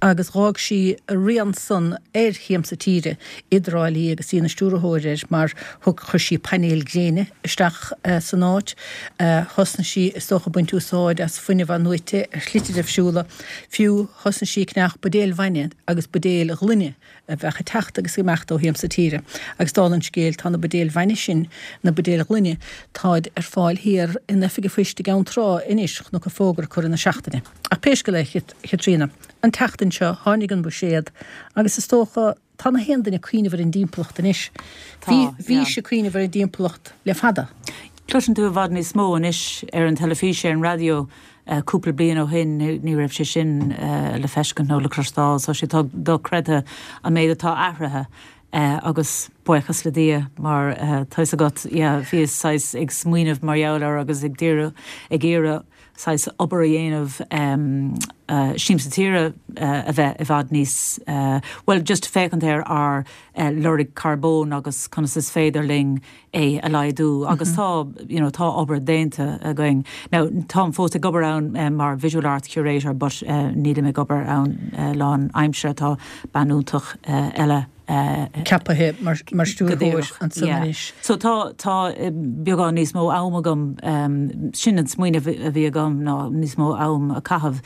agus dh'fhág sí rian san ar Shiamsa Tíre i dTrá Lí agus í ina stiúrthóir air mar thug chuir sí painéil gréine isteach san áit. Thosnaigh sí is dócha baint úsáid as fuinneamh athnuaite ar shlite difriúla, fiú thosnaigh sí ag ceannach buidéil bhainne agus buidéil ghloine a bheadh ag teacht agus ag imeacht ó Shiamsa Tíre. Agus dála an scéil tá na buidéil bhainne sin, na buidéil ghloine, táid ar fáil thiar in oifig an phoist i gCeann Trá anois, chonac fógra curtha na seachtaine. Ach pé scéal é Chaitríona, an tseachtain seo tháinig an buiséad agus is dócha tá na haon duine ag cuimhneamh ar an dtimpeallacht anois. Bhí bhí sé cuimhneamh ar an dtimpeallacht le fada. Cloiseann tú i bhfad níos mó anois ar an teilifís ar an raidió cúpla bliain ó shin ní raibh sé sin le feiscint nó le cloisteáil, so sé tá dochreidte an méid atá athraithe agus buíochas le Dia mar tá agat bhíos saghas ag smaoineamh mar gheall air agus ag d'iarraidh ag iarraidh saghas obair a dhéanamh Siamsa Tíre a bheith i bhfad níos well just féachaint ar ár lorg carbóin agus conas is féidir linn é a laghdú agus tá you know, tá obair déanta againn. Now táim fós ag obair ann mar visual art curator but uh, nílim ag obair ann uh, lánaimseartha tá bean iontach uh, eile ceaptha mar mar stiúrthóir ansan anois. So tá tá beagán níos mó am agam um, sin an smaoineamh a bhí agam ná níos mó am a chaitheamh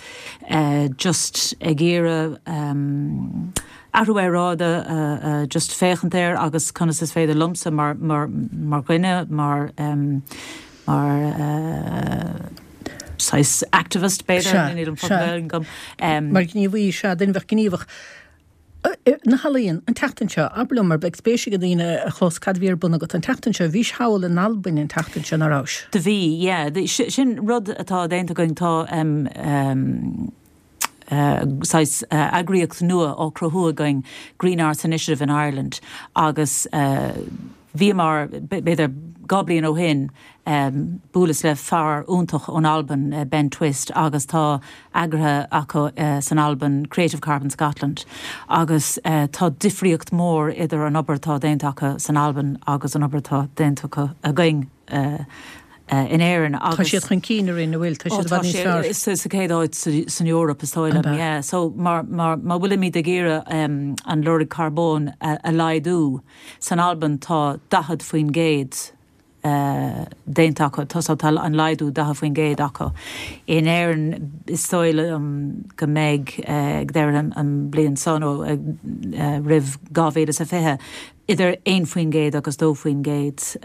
uh, just ag iarraidh um, athrú aeráide uh, uh, just féachaint air agus conas is féidir liomsa mar mar mar dhuine mar um, mar uh, saghas activist b'fhéidir níl an focal agam. Um, mar gníomhaí sea duine bheith gníomhach. Na healaíona an tseachtain seo, abair liom mar beidh spéis ag daoine a chlos cad a bhí ar bun agat an tseachtain seo, bhís thall in Albain an tseachtain seo nach raibh. Do bhí, yeah. Sin rud atá déanta againn tá um, um, uh, saghas uh, eagraíocht nua á cruthú againn Green Arts Initiative in Ireland agus uh, bhí mar b'fhéidir dhá bliain ó shin um, buaileas le fear iontach ón Albain uh, Ben Twist agus tá eagraithe acu uh, san Albain Creative Carbon Scotland agus uh, tá difríocht mór idir an obair atá déanta acu san Albain agus an obair atá déanta acu againn uh, uh, in Éirinn agus Tá siad chun cinn ar an bhfuil tá siad bhfad níos fearr. Sa chéad áit san Eoraip is dóigh liom, yeah. So mar mar má bhfuilimid ag iarraidh um, an lorg carbóin a, a laghdú san Albain tá daichead faoin gcéad uh, déanta acu tá tá an laghdú daichead faoin gcéad acu. In Éirinn is dóigh liom go mbeidh uh, ag deireadh an, an bliain seo nó uh, uh, roimh dhá mhíle is a fiche idir aon faoin gcéad agus dó faoin gcéad.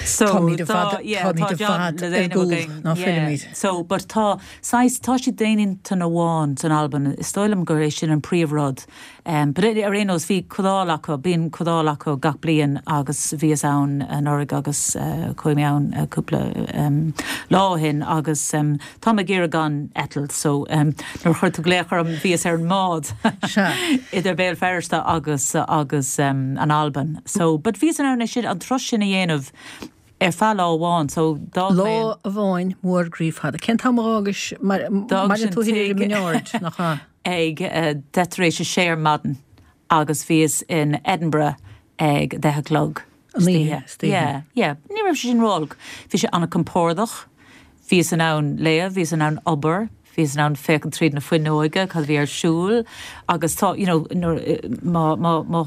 So Táimid i bhfad táimid i bhfad ar gcúl ná fuilimid. So but tá saghas tá siad d'aon intinn amháin san Albain is dóigh liom gur é sin an príomhrud. Um, but ar aon nós bhí comhdháil acu bíonn comhdháil acu gach bliain agus bhíos ann anuraidh agus uh, chuaigh mé ann uh, cúpla um, lá ó shin agus um, tá mé ag iarraidh gan eitilt so um, nuair chuir tú glaoch orm bhíos ar an mbád idir Béal Feirste agus agus um, an Albain. So but bhíos in ann sin an turas sin a dhéanamh ar feadh lá amháin so Lá amháin mór groí fada. Cén t-am a d'fhágais mar tú i mBinn nach ea? ag uh, deich tar éis a sé ar maidin agus bhíos in Edinburgh ag deich a chlog. Yeah, yeah. Ní raibh sé sin ró-olc. Bhí sé an-chompordach, Bhíos in ann léamh, bhíos in ann obair, bhíos in ann féachaint tríd na fuinneoige cad bhí ar siúl agus tá you know, má má má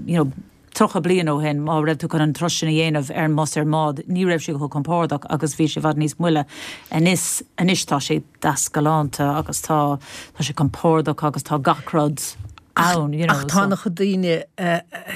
you know, tríocha bliain ó shin má raibh tú chun an turas sin a dhéanamh ar an mbus ar mbád, ní raibh sé chomh compordach agus bhí sé i bhfad níos moille anois anois tá sé deas galánta agus tá tá sé compordach agus tá gach rud ann you know, Ach tá na daoine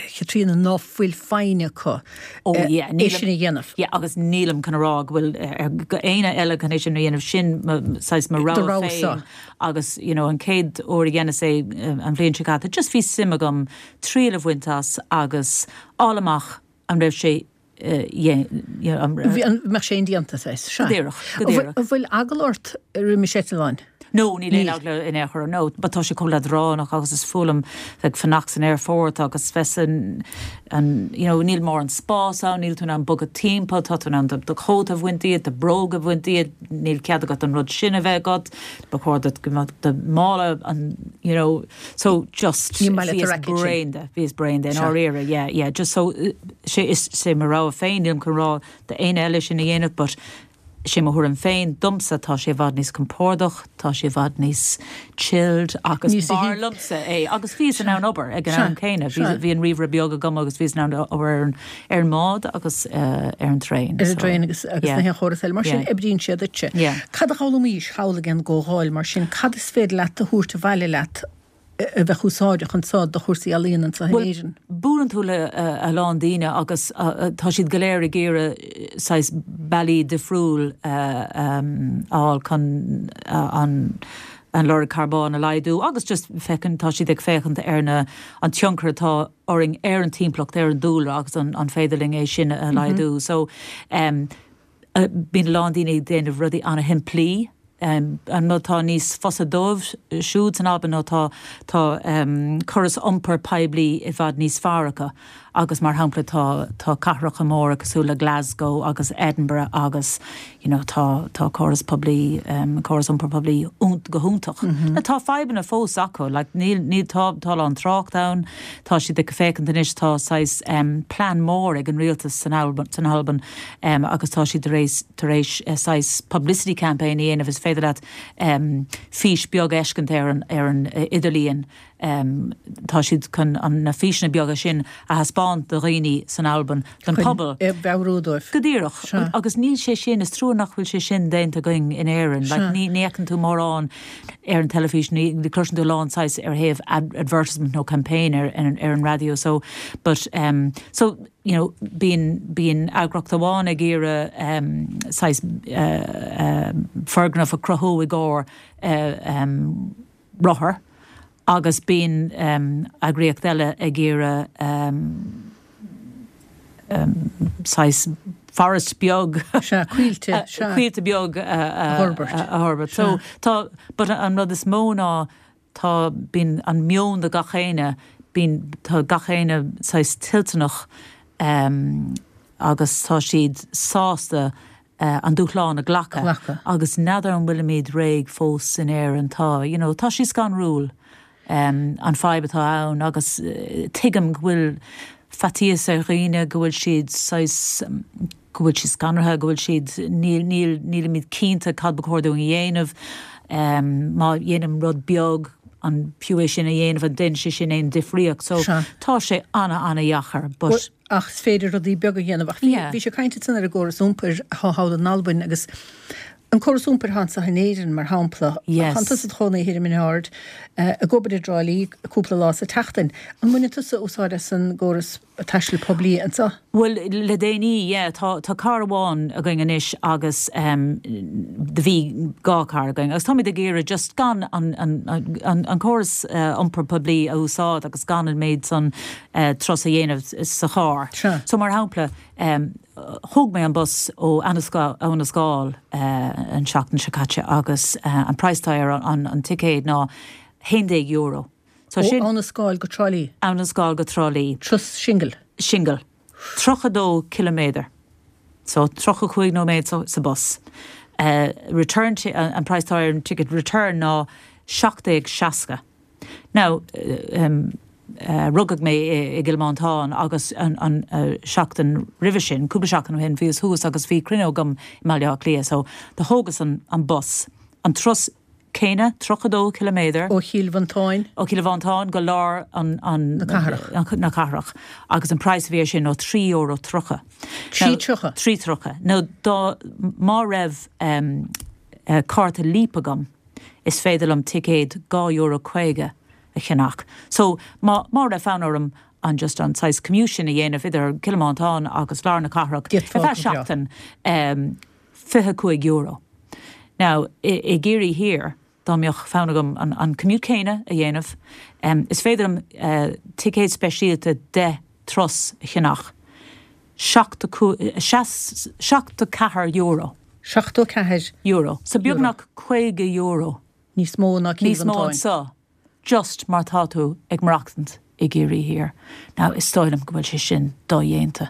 Chaitríona ná fuil foighne acu Oh yeah, é sin a dhéanamh. Yeah, agus nílim chun rá go bhfuil go éinne eile chun é sin a dhéanamh sin saghas mo rogha féin agus you know, an chéad uair a dheineas é an bhliain seo caite just bhí suim agam triail a bhaint as agus fháil amach an raibh sé Bheadh sé indéanta sé. Go díreach. An bhfuil eagla ort roimis eitleán? No, níl aon eagla in aon chor no, but tá sé chomh leadránach agus is fuath liom bheith fanacht san aerfort agus bheith san an you know, níl mórán spás ann, níl tú in ann bogadh timpeall, tá tú in ann do chóta a bhaint díot, do bhróga a bhaint díot, níl cead agat an rud sin a bheith agat, ba chóir duit go mbeadh do mála an you know, so just bhíos bréan de, bhíos bréan de in dáiríre, yeah, yeah, just so sé is sé mo rogha féin, nílim chun rá d'aon eile sin a dhéanamh, but sé mo thuairim féin domsa tá sé i bhfad níos compordach, tá sé i bhfad níos chilled agus b'fhearr liomsa é agus bhíos in ann obair ag an am céanna. Bhí an ríomhaire beag agam agus bhíos in ann obair ar an ar an mbád agus uh, ar an traein. Ar an traein agus agus na haon chóras eile mar sin oibríonn sé duitse. Cad a d'fhoghlaimís thall ag an gcomhdháil mar sin cad is féidir leat a thabhairt abhaile leat a bheith úsáideach anseo do chúrsaí ealaíon anseo in Éirinn. Buaileann tú le a lán daoine agus tá siad go léir ag iarraidh saghas bealaí difriúil a fháil chun an an lorg carbóin a laghdú agus just féachann tá siad ag féachaint ar na an tionchar atá orainn ar an timpeallacht ar an dúlra agus an, an féidir linn é sin a laghdú. So um, bíonn a lán daoine ag déanamh rudaí an-shimplí Um, an rud tá níos fusa dóibh siúd san Albain nó tá tá um, córas iompair poiblí i bhfad níos fearr acu agus mar shampla tá tá cathracha móra cosúil le Glasgow agus Edinburgh agus you know, tá tá córas poiblí um, córas iompair poiblí go hiontach. Mm -hmm. Tá fadhbanna fós acu, like, níl níl tá tá an trácht ann, tá siad ag féachaint anois tá saghas um, plean mór ag an rialtas san Albain, san Albain um, agus tá siad tar éis tar éis uh, saghas publicity campaign a dhéanamh is féidir leat um, fís beag a fheiscint ar an ar an uh, idirlíon um, tá siad chun an na físeanna beaga sin a thaispeáint do dhaoine san Albain don pobal. Meabhrú dóibh. Go díreach agus níl sé sin is trua nach bhfuil sé sin déanta againn in Éirinn, like, ní ní fheiceann tú mórán ar an teilifís ní chloiseann tú lán saghas ar thaobh ad advertisement nó campaign ar, ar, ar an radio so but um, so you know bíonn bíonn eagraíocht amháin ag iarraidh um, saghas uh, uh, foirgneamh a chruthú i gcomhair uh, um, rothar agus bíonn um, eagraíocht eile ag iarraidh um, um, saghas forest beag Sea, coillte, sea. coillte beag a fhorbairt. a fhorbairt. So tá but an rud is mó ná tá bíonn an meon de gach éinne bíonn tá gach éinne saghas toilteanach um, agus tá siad sásta uh, an dúshlán a ghlacadh. Glacadh. Agus n'fheadar an bhfuilimid réidh fós in Éirinn tá, you know, tá sé scanrúil um, an fadhb atá ann agus uh, tuigim go bhfuil faitíos ar dhaoine go bhfuil siad saghas um, go bhfuil siad scanraithe, go bhfuil siad níl níl nílimid cinnte cad ba chóir dúinn a dhéanamh um, má dhéanaim rud beag an fiú é sin a dhéanamh an ndéanann sé sin aon difríocht, so Sea. tá sé ana ana-dheacair, but Well, ach is féidir rudaí beaga a dhéanamh ach bhí Yeah. bhí sé caint san ar an gcóras iompair atá thall in Albain agus an córas iompair anseo in Éirinn mar shampla Yes. Tá tusa i do chónaí thiar i mBinn Ard ag obair i dTrá Lí cúpla lá sa tseachtain. An mbaineann tusa úsáid as an gcóras taisteal poiblí anseo? Bhuel, le déanaí, yeah, tá tá carr amháin againn anois agus um, do bhí dhá carr againn. Agus táimid ag iarraidh just gan an, an, an, an córas uh, iompar poiblí a úsáid agus gan an méid san uh, turas a dhéanamh sa charr. Sure. So mar shampla, um, thóg mé an bus ó Abhainn an Scáil uh, an seachtain seo caite agus uh, an praghas ar an, an, an ticéad ná haon déag euro. So sin Abhainn an Scáil go Trá Lí. Abhainn an Scáil go Trá Lí. Turas singil. Singil. Tríocha dó kilometer. So tríocha cúig nóiméad sa, sa bus. Uh, return uh, an praghas ar an ticket return ná seacht déag seasca. Now, uh, um, uh, rugadh mé i gCill Mhantáin agus an, an uh, seachtain roimhe sin, cúpla seachtain ó shin bhíos thuas agus bhí cruinniú agam i mBaile Átha Cliath, so do thógas an, an bus. An turas céanna tríocha dó kilometer. Ó Chill Mhantáin. Ó Chill Mhantáin go lár an, an, na cathrach. An, na cathrach. Agus an praghas a bhí sin ó trí euro tríocha. Trí tríocha? Trí tríocha. Nó dá má raibh um, uh, cárta Leap agam, is féidir liom ticéad dhá euro caoga a cheannach. So má, má raibh fonn orm an just an saghas commute sin a dhéanamh idir Cill Mhantáin agus lár na cathrach. Ar feadh seachtain um, fiche cúig euro. Now, i, i gCiarraí Thiar, dá mbeadh fonn agam an, an commute céanna a dhéanamh, um, is féidir liom uh, ticéad speisialta deich dturas a cheannach. Seachtó ceathair euro. Seachtó ceathair euro. So beagnach caoga euro. Níos mó ná Níos mó anseo. Just mar tá tú ag maireachtaint i gCiarraí Thiar. Now is dóigh liom go bhfuil sé sin dodhéanta.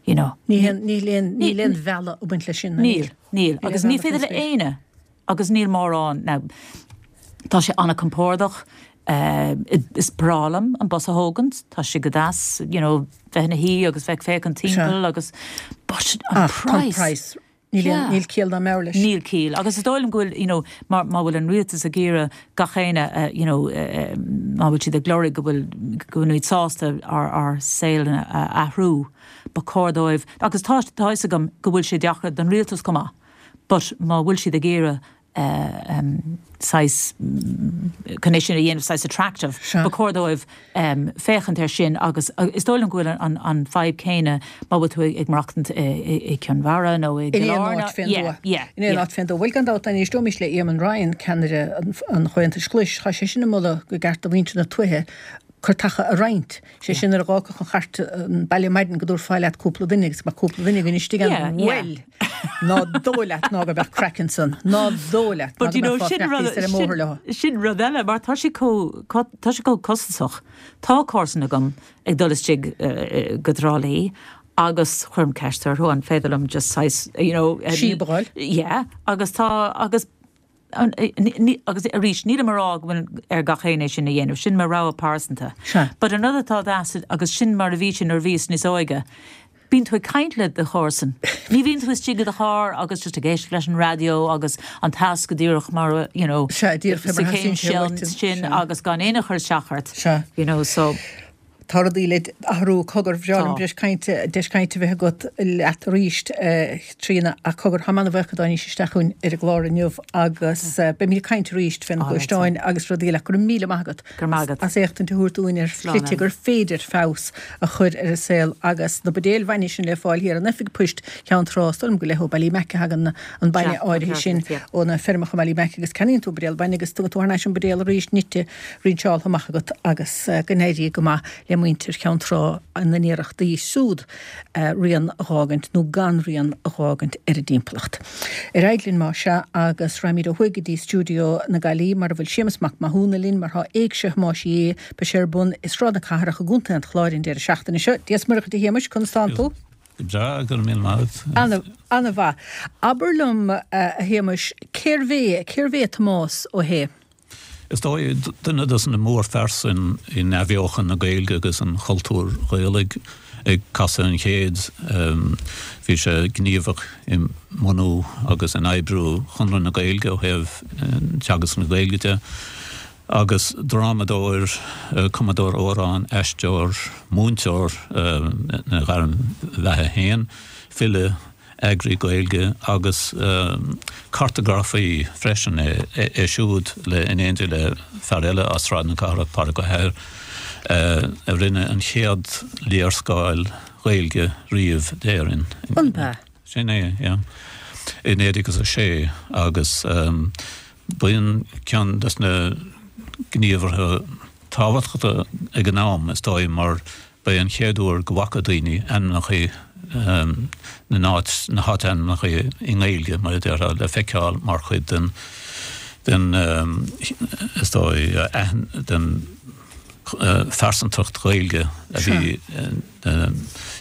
You know. Níl aon bhealach ag baint leis sin. Níl, níl. Agus ní féidir le éinne agus níl mórán now tá sé an-chompordach uh, is breá liom an bus a thógaint, tá sé go deas, you know, bheith ina shuí agus bheith féachaint timpeall agus but an ah, price. price. Níl níl ciall ná meabhair leis. Níl ciall. Agus is dóigh liom go bhfuil you know, mar má bhfuil an rialtas ag iarraidh gach éinne uh, you know, uh, má bhfuil siad ag lorg go bhfuil go bhfuil sásta ár ár saol a athrú ba chóir dóibh. Agus tá tá agam go bhfuil sé deacair don rialtas chomh maith. But má bhfuil siad ag iarraidh uh, um, saghas condition a dhéanamh saghas attractive Sure. Ba chóir dóibh um, féachaint air sin agus uh, is dóigh liom go bhfuil an, an fadhb céanna má bhfuil tú ag maireachtaint i gConn Mhara nó i In aon áit fén dtuath. In aon áit fén dtuath. Bhuel gan dabht éisteoimis le Eamon Ryan ceannaire an Chomhaontais Ghlais, tá sé sin ag moladh gur cheart do mhuintir na tuaithe cairteacha a roinnt. Sé sin ar gácha an chairt an baile maidin go dtabharfá leat cúpla duine agus mar cúpla duine gan istigh Yeah, yeah. Bhuel ná dóigh leat ná go mbeadh craic ansan, ná dóigh leat But you know sin ar an mbóthar leo. sin rud eile mar tá sé chomh tá sé chomh costasach. Tá comharsan agam ag dul istigh uh, go Trá Lí agus chuir mé ceist orthu an féidir liom just saghas you know um, Síobáil. Yeah, agus tá agus an, eh, ní- ní- agus arís níl mar á bhfuil ar gach éinne sin a dhéanamh, sin mo rogha pearsanta. Sea. But another thought acid agus sin mar a bhí sin ar bhíos níos óige. Bíonn tú ag caint le do chomharsan. Ní bhíonn tú istigh i do charr agus just ag éisteacht leis an raidió agus an t-eas go díreach mar you know, Sea, díreach fé mar sa chéim theastaíonn sé sin uait, sin sea. agus gan aon chur isteach ort. Sea. You know, so Tá rudaí le athrú cogar bhreá Tá. deis cainte deis cainte bheith agat leat arís Tríona a cogar tá mé an-bhuíoch go dtáinig isteach chugainn ar an gclár inniu agus beimid ag caint arís fé na gluaisteáin agus rudaí le go raibh míle maith agat. Go raibh maith agat. As éachtaint a thabhairt dúinn ar Slán shlite gur féidir feabhas a chur ar an saol agus na buidéil bhainne sin le fáil thiar in oifig poist Cheann Trá is dóigh liom go le ó Ballymac a thagann an bainne Sea, áirithe sin yeah. ó na feirmeacha Ballymac agus ceannaíonn tú buidéal bainne agus tugann tú thar n-ais an buidéal arís nite rinseáilte amach agat agus eh, go n-éirí go maith le muintir Cheann Trá ina n-iarrachtaí siúd eh, rian a fhágaint nó gan rian a fhágaint ar a dtimpeallacht. Ar aghaidh linn mar seo agus raghaimid ó thuaidh go dtí stiúideo na Gaillimhe mar a bhfuil Séamus Mac Mathúna linn mar tá Éigse Thomáis Uí Aodha beidh sé ar bun i Sráid na Cathrach i gContae an Chláir an deireadh seachtaine seo. Dia is Muire dhuit a Shéamuis conas tánn tú? Breá go raibh míle maith. An-mhaith. Abair liom eh, a Shéamuis cérbh é cérbh é Tomás Ó hAodha. Is dóigh duine de na mórphearsain in athbheochan na Gaeilge agus an chultúir Ghaelaigh ag casadh an chéid bhí sé gníomhach i mbunú agus in oibriú Chonradh na Gaeilge ó thaobh teagasc na Gaeilge de. agus drámadóir, cumadóir amhrán, aisteoir, múinteoir ina ghairm bheatha féin, file eagraí Gaeilge agus um, cartagrafaí freisin é, é, é siúd le in éindí le fear eile as Sráid na Cathrach Pádraig Ó hEithir. a rinne an chéad léarscáil Ghaeilge riamh d'Éirinn. An b'ea? Sin é, yeah. I naoi déag agus a sé agus b'in ceann des na gníomhartha tábhachtacha ag an am, is dóigh, mar ba é an chéad uair go bhfaca daoine ainmneacha na n-áit, na háitainmneacha i nGaeilge, mar a déarfá, le feiceáil mar chuid den, den, is dóigh, den phearsantacht Ghaeilge a bhí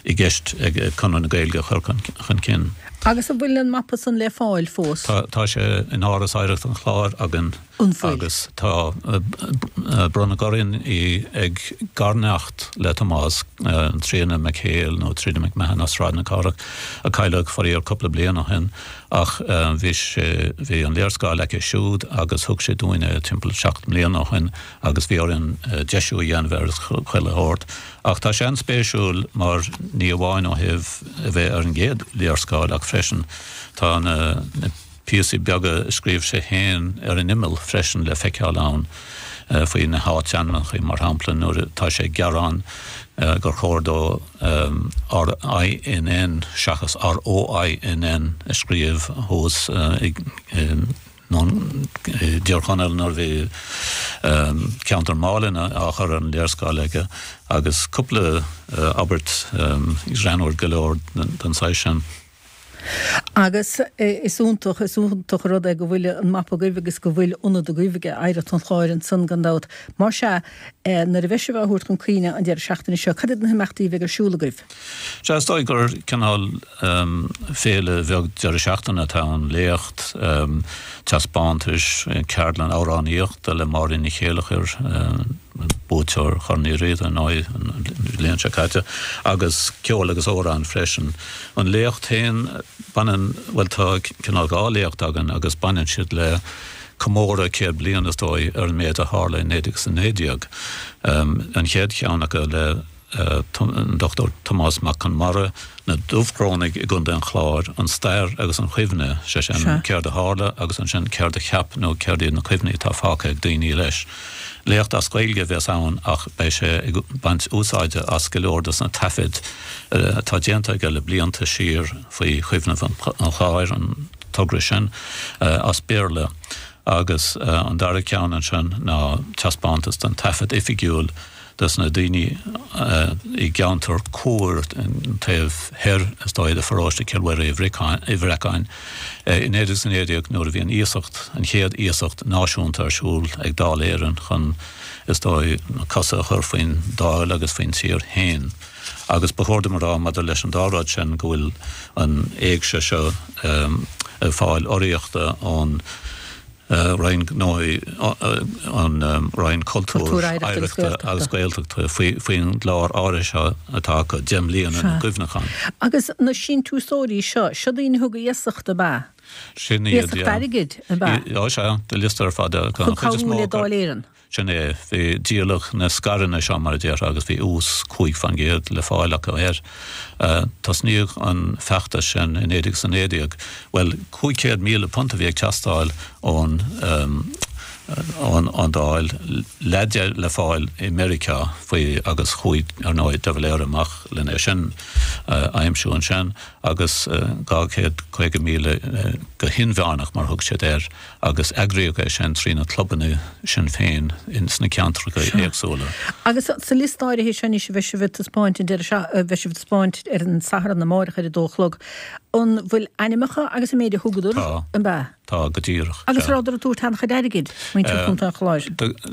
i gceist ag Conradh na Gaeilge a chur chun cinn. Agus an bhfuil an mapa san le fáil fós? Tá, tá sé in Áras Oidhreachta an Chláir againn. An bhfuil? Agus tá, bronnadh orainn í ag garneacht le Tomás, Tríona McHale nó Tríona McMahon as Sráid na Cathrach, a cailleadh faraor cúpla bliain ó shin, ach bhí sé, bhí an léarscáil aici siúd agus thug sí dúinn é timpeall seacht mbliana ó shin agus bhí orainn deisiú a dhéanamh air is chuile shórt. Ach tá sé an-spéisiúil mar ní amháin ó thaobh a bheith ar an gcéad léarscáil ach freisin tá na píosaí beaga a scríobh sé féin ar an imeall freisin le feiceáil ann faoi na háitainmneacha, mar shampla nuair atá sé ag gearán gur chóir dó R I N N seachas R O I N N a scríobh thuas i i dTír Chonaill nuair a bhí ceantar Málainn á chur ar an léarscáil aige agus cúpla abairt greannmhar go leor den saghas sin. Agus is iontach, is iontach an rud é go bhfuil an mapa agaibh agus go bhfuil ionad agaibh ag Oidhreacht an Chláir ansan gan dabht. Mar sea, nuair a bheidh sibh á thabhairt chun cuimhne an deireadh seachtaine seo, cad iad na himeachtaí a bheidh ar siúl agaibh? Sea, is dóigh gur cineál féile bheag deireadh seachtaine atá ann, léacht, taispeántais, ceardlann amhránaíochta le Máirín Ní Chéilleachair, buaiteoir Chorn Uí Riada ar ndóigh an bhliain seo caite, agus ceol agus amhráin freisin. An léacht féin, baineann, bhuel tá cineál dhá léacht againn agus baineann siad le comóradh céad bliain is dóigh ar an méid a tharla i naoi déag is a naoi déag. An chéad cheann acu le an Dochtúir Tomás Mac Conmara, na Dubhchrónaigh i gContae an Chláir, an stair agus an chuimhne, sé sin, céard a tharla agus ansin céard a cheap nó céard iad na cuimhní atá fágtha ag daoine leis. Léacht as Gaeilge a bheas ann ach beidh sé ag baint úsáide as go leor dos na taifid atá déanta aige le blianta siar faoi Chuimhneamh an Chláir, an togra sin, as Béarla. Agus an dara ceann ansin ná taispeántas den taifead oifigiúil dos na daoine i gceantar Corr, an taobh thoir is dóigh de pharóiste Chill Mhuire Uí Bhreacáin, i naoi déag is a naoi déag nuair a bhí an iasacht, an chéad iasacht náisiúnta ar siúl ag Dáil Éireann chun, is dóigh, cosa a chur faoin Dáil agus faoin tír féin. Agus ba chóir dom a rá maidir leis an dá rud sin go bhfuil an éigse seo ag fáil urraíochta ón Roinn Gnóthaí, an Roinn Cultúir, Oidhreachta agus Gaeltachta faoin gclár áirithe seo atá acu, Deich mBliana na gCuimhneachán. Agus na síntiúsóirí seo, seo daoine a thug iasacht, ab ea? Sin iad, Iasacht airgid, ab ea? Ó sea, tá liosta ar fad acu. Chun cabhrú le Dáil Éireann. Sin é. Bhí díoladh na scaireanna seo, mar a déarfá, agus bhí ús cúig faoin gcéad le fáil acu air. Tosnaíodh an feachtas sin i naoi déag is a naoi déag. Bhuel, cúig chéad míle punt a bhí ag teastáil ón ón Dáil, leath de le fáil i Meiriceá faoi agus chuaigh, ar ndóigh, de Valera amach lena sin a aimsiú ansin agus dhá chéad caoga míle go hinmheánach, mar a thug siad air. agus eagraíodh é sin trí na clubanna Sinn Féin ins na ceantracha éagsúla. Agus sa liosta áirithe seo anois a bheidh sibh ag taispeáint an deireadh seo, a bheidh sibh ag taispeáint ar an Satharn amárach ar a dó a chlog, an bhfuil ainmneacha agus an méid a thugadar, Tá. an b'ea? Tá, go díreach. Agus rabhadar ag tabhairt an-chuid airgid, muintir Chontae an Chláir?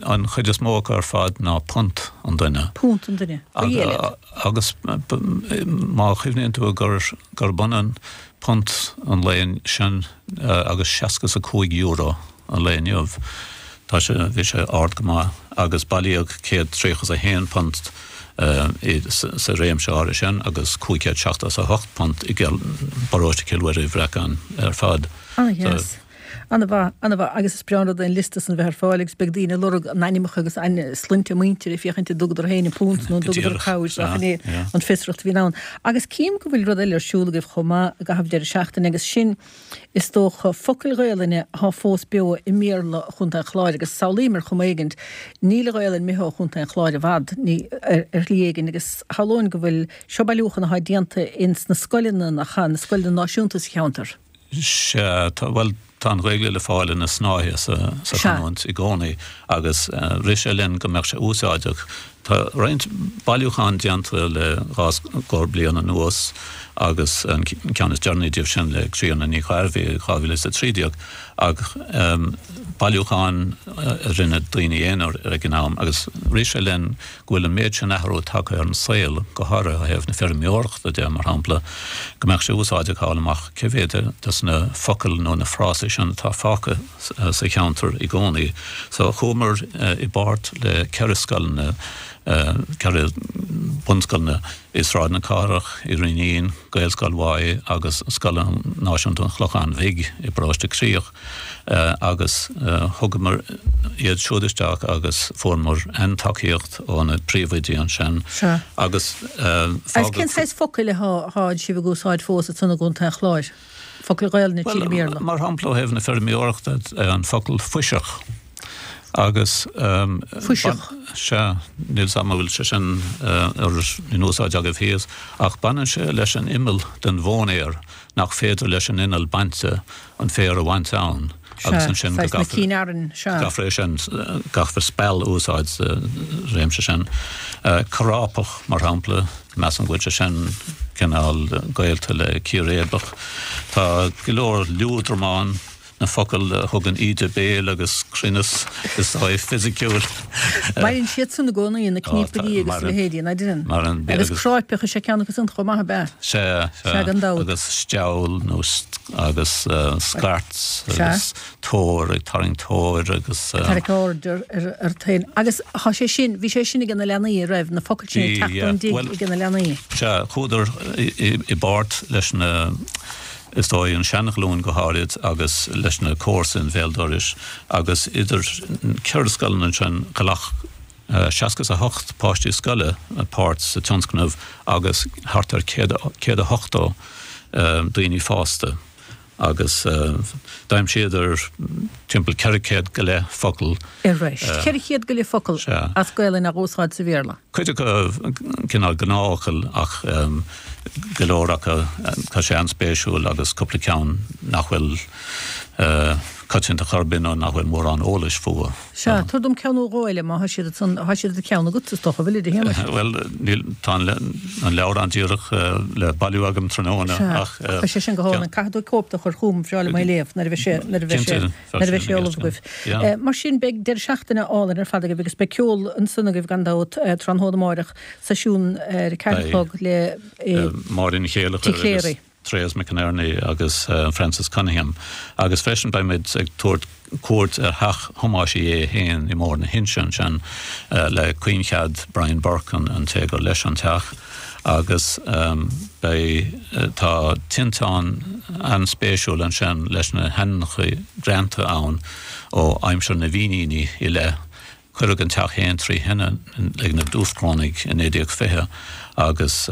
An chuid is mó acu ar fad ná punt an duine. Punt an duine. Ba dhiail iad. Agus má chuimhníonn tú gur gurb ionann punt an lae sin agus seasca is a cúig euro an lae inniu. Tá sé, bhí sé ard go maith agus bailíodh céad tríocha is a haon punt sa réimse áirithe sin agus cúig chéad seachtó is a hocht punt i bparóiste Chill Mhuire Uí Bhreacáin ar fad. Ana-dheas. An-mhaith, an-mhaith, agus is breá an rud é an liosta san bheith ar fáil agus beidh daoine ag lorg a n-ainmneacha agus sloinnte a muintire ag féachaint an dtugadar féin an punt nó an dtugadar cabhair ach inné an fiosracht a bhíonn ann. Agus cím go bhfuil rud eile ar siúl agaibh chomh maith i gcaitheamh deireadh seachtaine agus sin is dócha focail Ghaelainne atá fós beo i mBéarla Chontae an Chláir agus samhlaím ar chuma éigint níl an Ghaelainn imithe ó Chontae an Chláir i bhfad ní ar ar shlí éigin agus shamhlóinn go bhfuil seo bailiúchán atá déanta ins na scoileanna nach ea, na scoileanna náisiúnta sa cheantar. Sea, tá, bhuel, tá an Ghaeilge le fáil ina snáithe sa sa chanúint i gcónaí agus rith sé linn go mbeadh sé úsáideach. Tá roinnt bailiúchán déanta le dhá scór bliain anuas agus an ceann is deireanaí díobh sin le Críona Ní Ghairbhí i dhá mhíle is a trí déag ach bailiúcháin a rinne daoine aonair ag an am agus rith sé linn go bhfuil an méid sin athrú tagtha ar an saol, go háirithe ó thaobh na feirmeoireachta de, mar shampla, go mbeadh sé úsáideach a fháil amach cé mhéad de na focail nó na frásaí sin atá fágtha sa cheantar i gcónaí. So chuamar i bpáirt le ceithre scoileanna, ceithre bunscoileanna i Sráid na Cathrach, i Rinnín, Gaelscoil Mháigh agus Scoil Náisiúnta an Chlocháin Bhig i bParóiste Críoch agus thugamar iad siúd isteach agus fuaireamar an-tacaíocht ó na príomhoidí ansin agus fágadh. Cén saghas focail atá sibh ag úsáid fós ansan i gContae an Chláir? Focail Ghaelainne tríd an mBéarla? Mar shampla ó thaobh na feirmeoireachta an focal fuiseach. Agus Fuiseach. Sea, níl 's a'm an bhfuil sé sin in úsáid agaibh thíos, ach baineann sé leis an imeall den mhóinéar nach féidir leis an inneall bainte an féar a bhaint ann agus ansin go gcaithfear é sin, gcaithfear speal a úsáid sa réimse sin. Corápach, mar shampla, measaim go bhfuil sé sin cineál gaolta le círéibeach. Tá go leor liúdramán. na focail a thugann íde béil agus cruinneas is dóigh fisiciúil. Maireann siad san i gcónaí, na cníopairí agus a leithéidí, nach deineann? Maireann. Agus cráipeach is ea ceann acu san chomh maith, ab ea? Sea, sea. Gan dabht. Agus steall nó agus scairt agus tóir, ag tarraingt tóir agus. Ag tarraingt aird ort féin. Agus tá sé sin, bhí sé sin ag na leanaí, an raibh, na focail sin ag teacht ón dtigh ag na leanaí. Sea, chuadar i bpáirt leis na. is dóigh, an seanghlúin go háirid agus leis na comharsain béal dorais agus idir ceithre scoileanna ansin ghlac seasca is a hocht páistí scoile páirt sa tionscnamh agus thart ar céad a hochtó daoine fásta agus d'aimsíodar timpeall ceithre chéad go leith focal. Ar ais. Ceithre chéad go leith focal as Gaelainn á úsáid sa Bhéarla. Cuid acu cineál gnáthfhocail ach go leor acu tá sé an-spéisiúil agus cúpla ceann nach bhfuil coitianta chor ar bith nó nach bhfuil mórán eolais fúthu. Sea, tabhair dom ceann nó dhó eile má tá siad ansan, tá siad i do cheann agat is dócha, bhfuil, a Shéamais? Bhuel, níl, tá an leabhrán díreach le bailiú agam tráthnóna ach. Sea, tá sé sin go hálainn. Caithfidh tú cóip de a chur chugam, bhreá liom é a léamh nuair a bheidh sé, nuair a bheidh sé, nuair a bheidh sé ullamh agaibh. Mar sin, beidh deireadh seachtaine álainn ar fad agaibh agus beidh ceol ansan agaibh gan dabht tráthnóna amáireach, seisiún ar a ceathair a chlog le Máire Ní Chéilleachair agus Therese McInerney agus Francis Cunningham agus freisin beimid ag tabhairt cuairt ar theach Thomáis Uí Aodha féin i mBarr na hInse ansin le caoinchead Brian Burke an té gur leis an teach agus beidh tá tinteán an-spéisiúil ansin leis na hainmneacha greanta ann ó aimsir na bhFíníní i leith. Cuireadh an teach féin trí thine ag na Dúchrónaigh i naoi déag fiche agus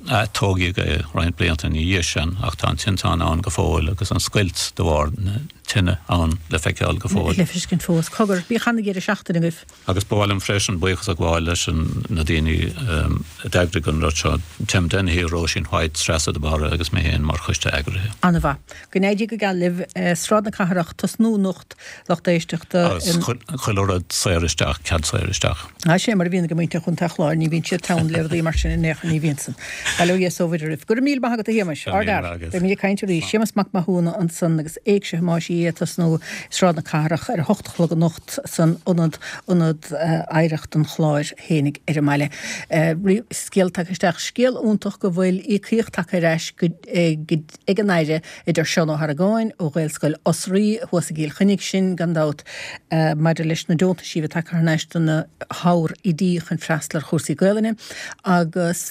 atógadh é roinnt blianta ina dhiaidh sin ach tá an tinteán ann go fóill agus an scoilt de bharr na tine ann le feiceáil go fóill. Le feiscint fós. Cogar, bíodh ana-dheireadh seachtaine agaibh. Agus ba mhaith liom freisin buíochas a ghabháil leis na daoine a d'eagraigh an rud seo, Tim Dennehy, Róisín White, Treasa de Barra agus mé féin mar choiste eagraithe. An-mhaith. Go n-éirí go geal libh. Sráid na Cathrach, tosnú anocht, lucht éisteachta. Agus chuile rud saor isteach, cead saor isteach. Á, sé mar a bhíonn ag muintir Chontae an Chláir, ní bhíonn siad teann le rudaí mar sin in aon chor, ní bhíonn san. Bail ó Dhia is ó Mhuire oraibh. Go raibh míle maith agat a Shéamais. Go raibh míle maith agat. Beimid ag caint arís. Séamas Mac Mathúna ansan agus Éigse Thomáis Uí Aodha ag tosnú i Sráid na Cathrach ar a hocht a chlog anocht san ionad, Ionad Oidhreacht an Chláir fhéinig ar an mbaile. Scéal tagtha isteach, scéal iontach go bhfuil íocaíocht tagtha ar ais go, ag an Aire, a deir Seán Ó hArgáin ó Ghaelscoil Osraí thuas i gCill Chainnigh, sin gan dabht maidir leis na deontaisí a bhí tagtha thar n-ais do na hábhar-oidí chun freastal ar chúrsaí Gaelainne agus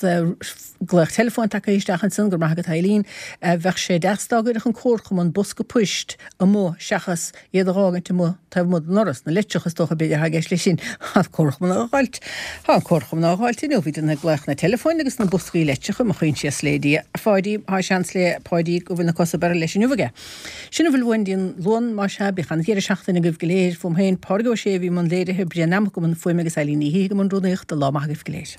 glaoch teileafóin tagtha isteach ansan, go raibh maith agat Eileen, bheadh sé deas dá gcuirfeadh an Comharchumann bosca poist amuigh amuigh seachas iad a dh'fhágaint amuigh taobh amuigh den ndoras, na leitreacha is dócha b'fhéidir atá i gceist leis sin. Tá an comharchumann á dh'fháilt. Tá an comharchumann á dh'fháilt inniu. Bhí daoine ag glaoch na teileafóin agus na boscaí leitreacha, mo choinsias lé Dia. A Pháidí, tá seans le Páidí go bhfuil na cosa beirthe leis inniu aige. Sin a bhfuil uainn dtí an Luan, más ea, bíodh an-dheireadh seachtaine agaibh go léir. Fúm féin, Pádraig Ó Sé a bhí i mbun léirithe, Brian Nammock i mbun fuaime agus Eileen Ní hÍthigh i mbun rúnaíochta. Lá maith agaibh go léir.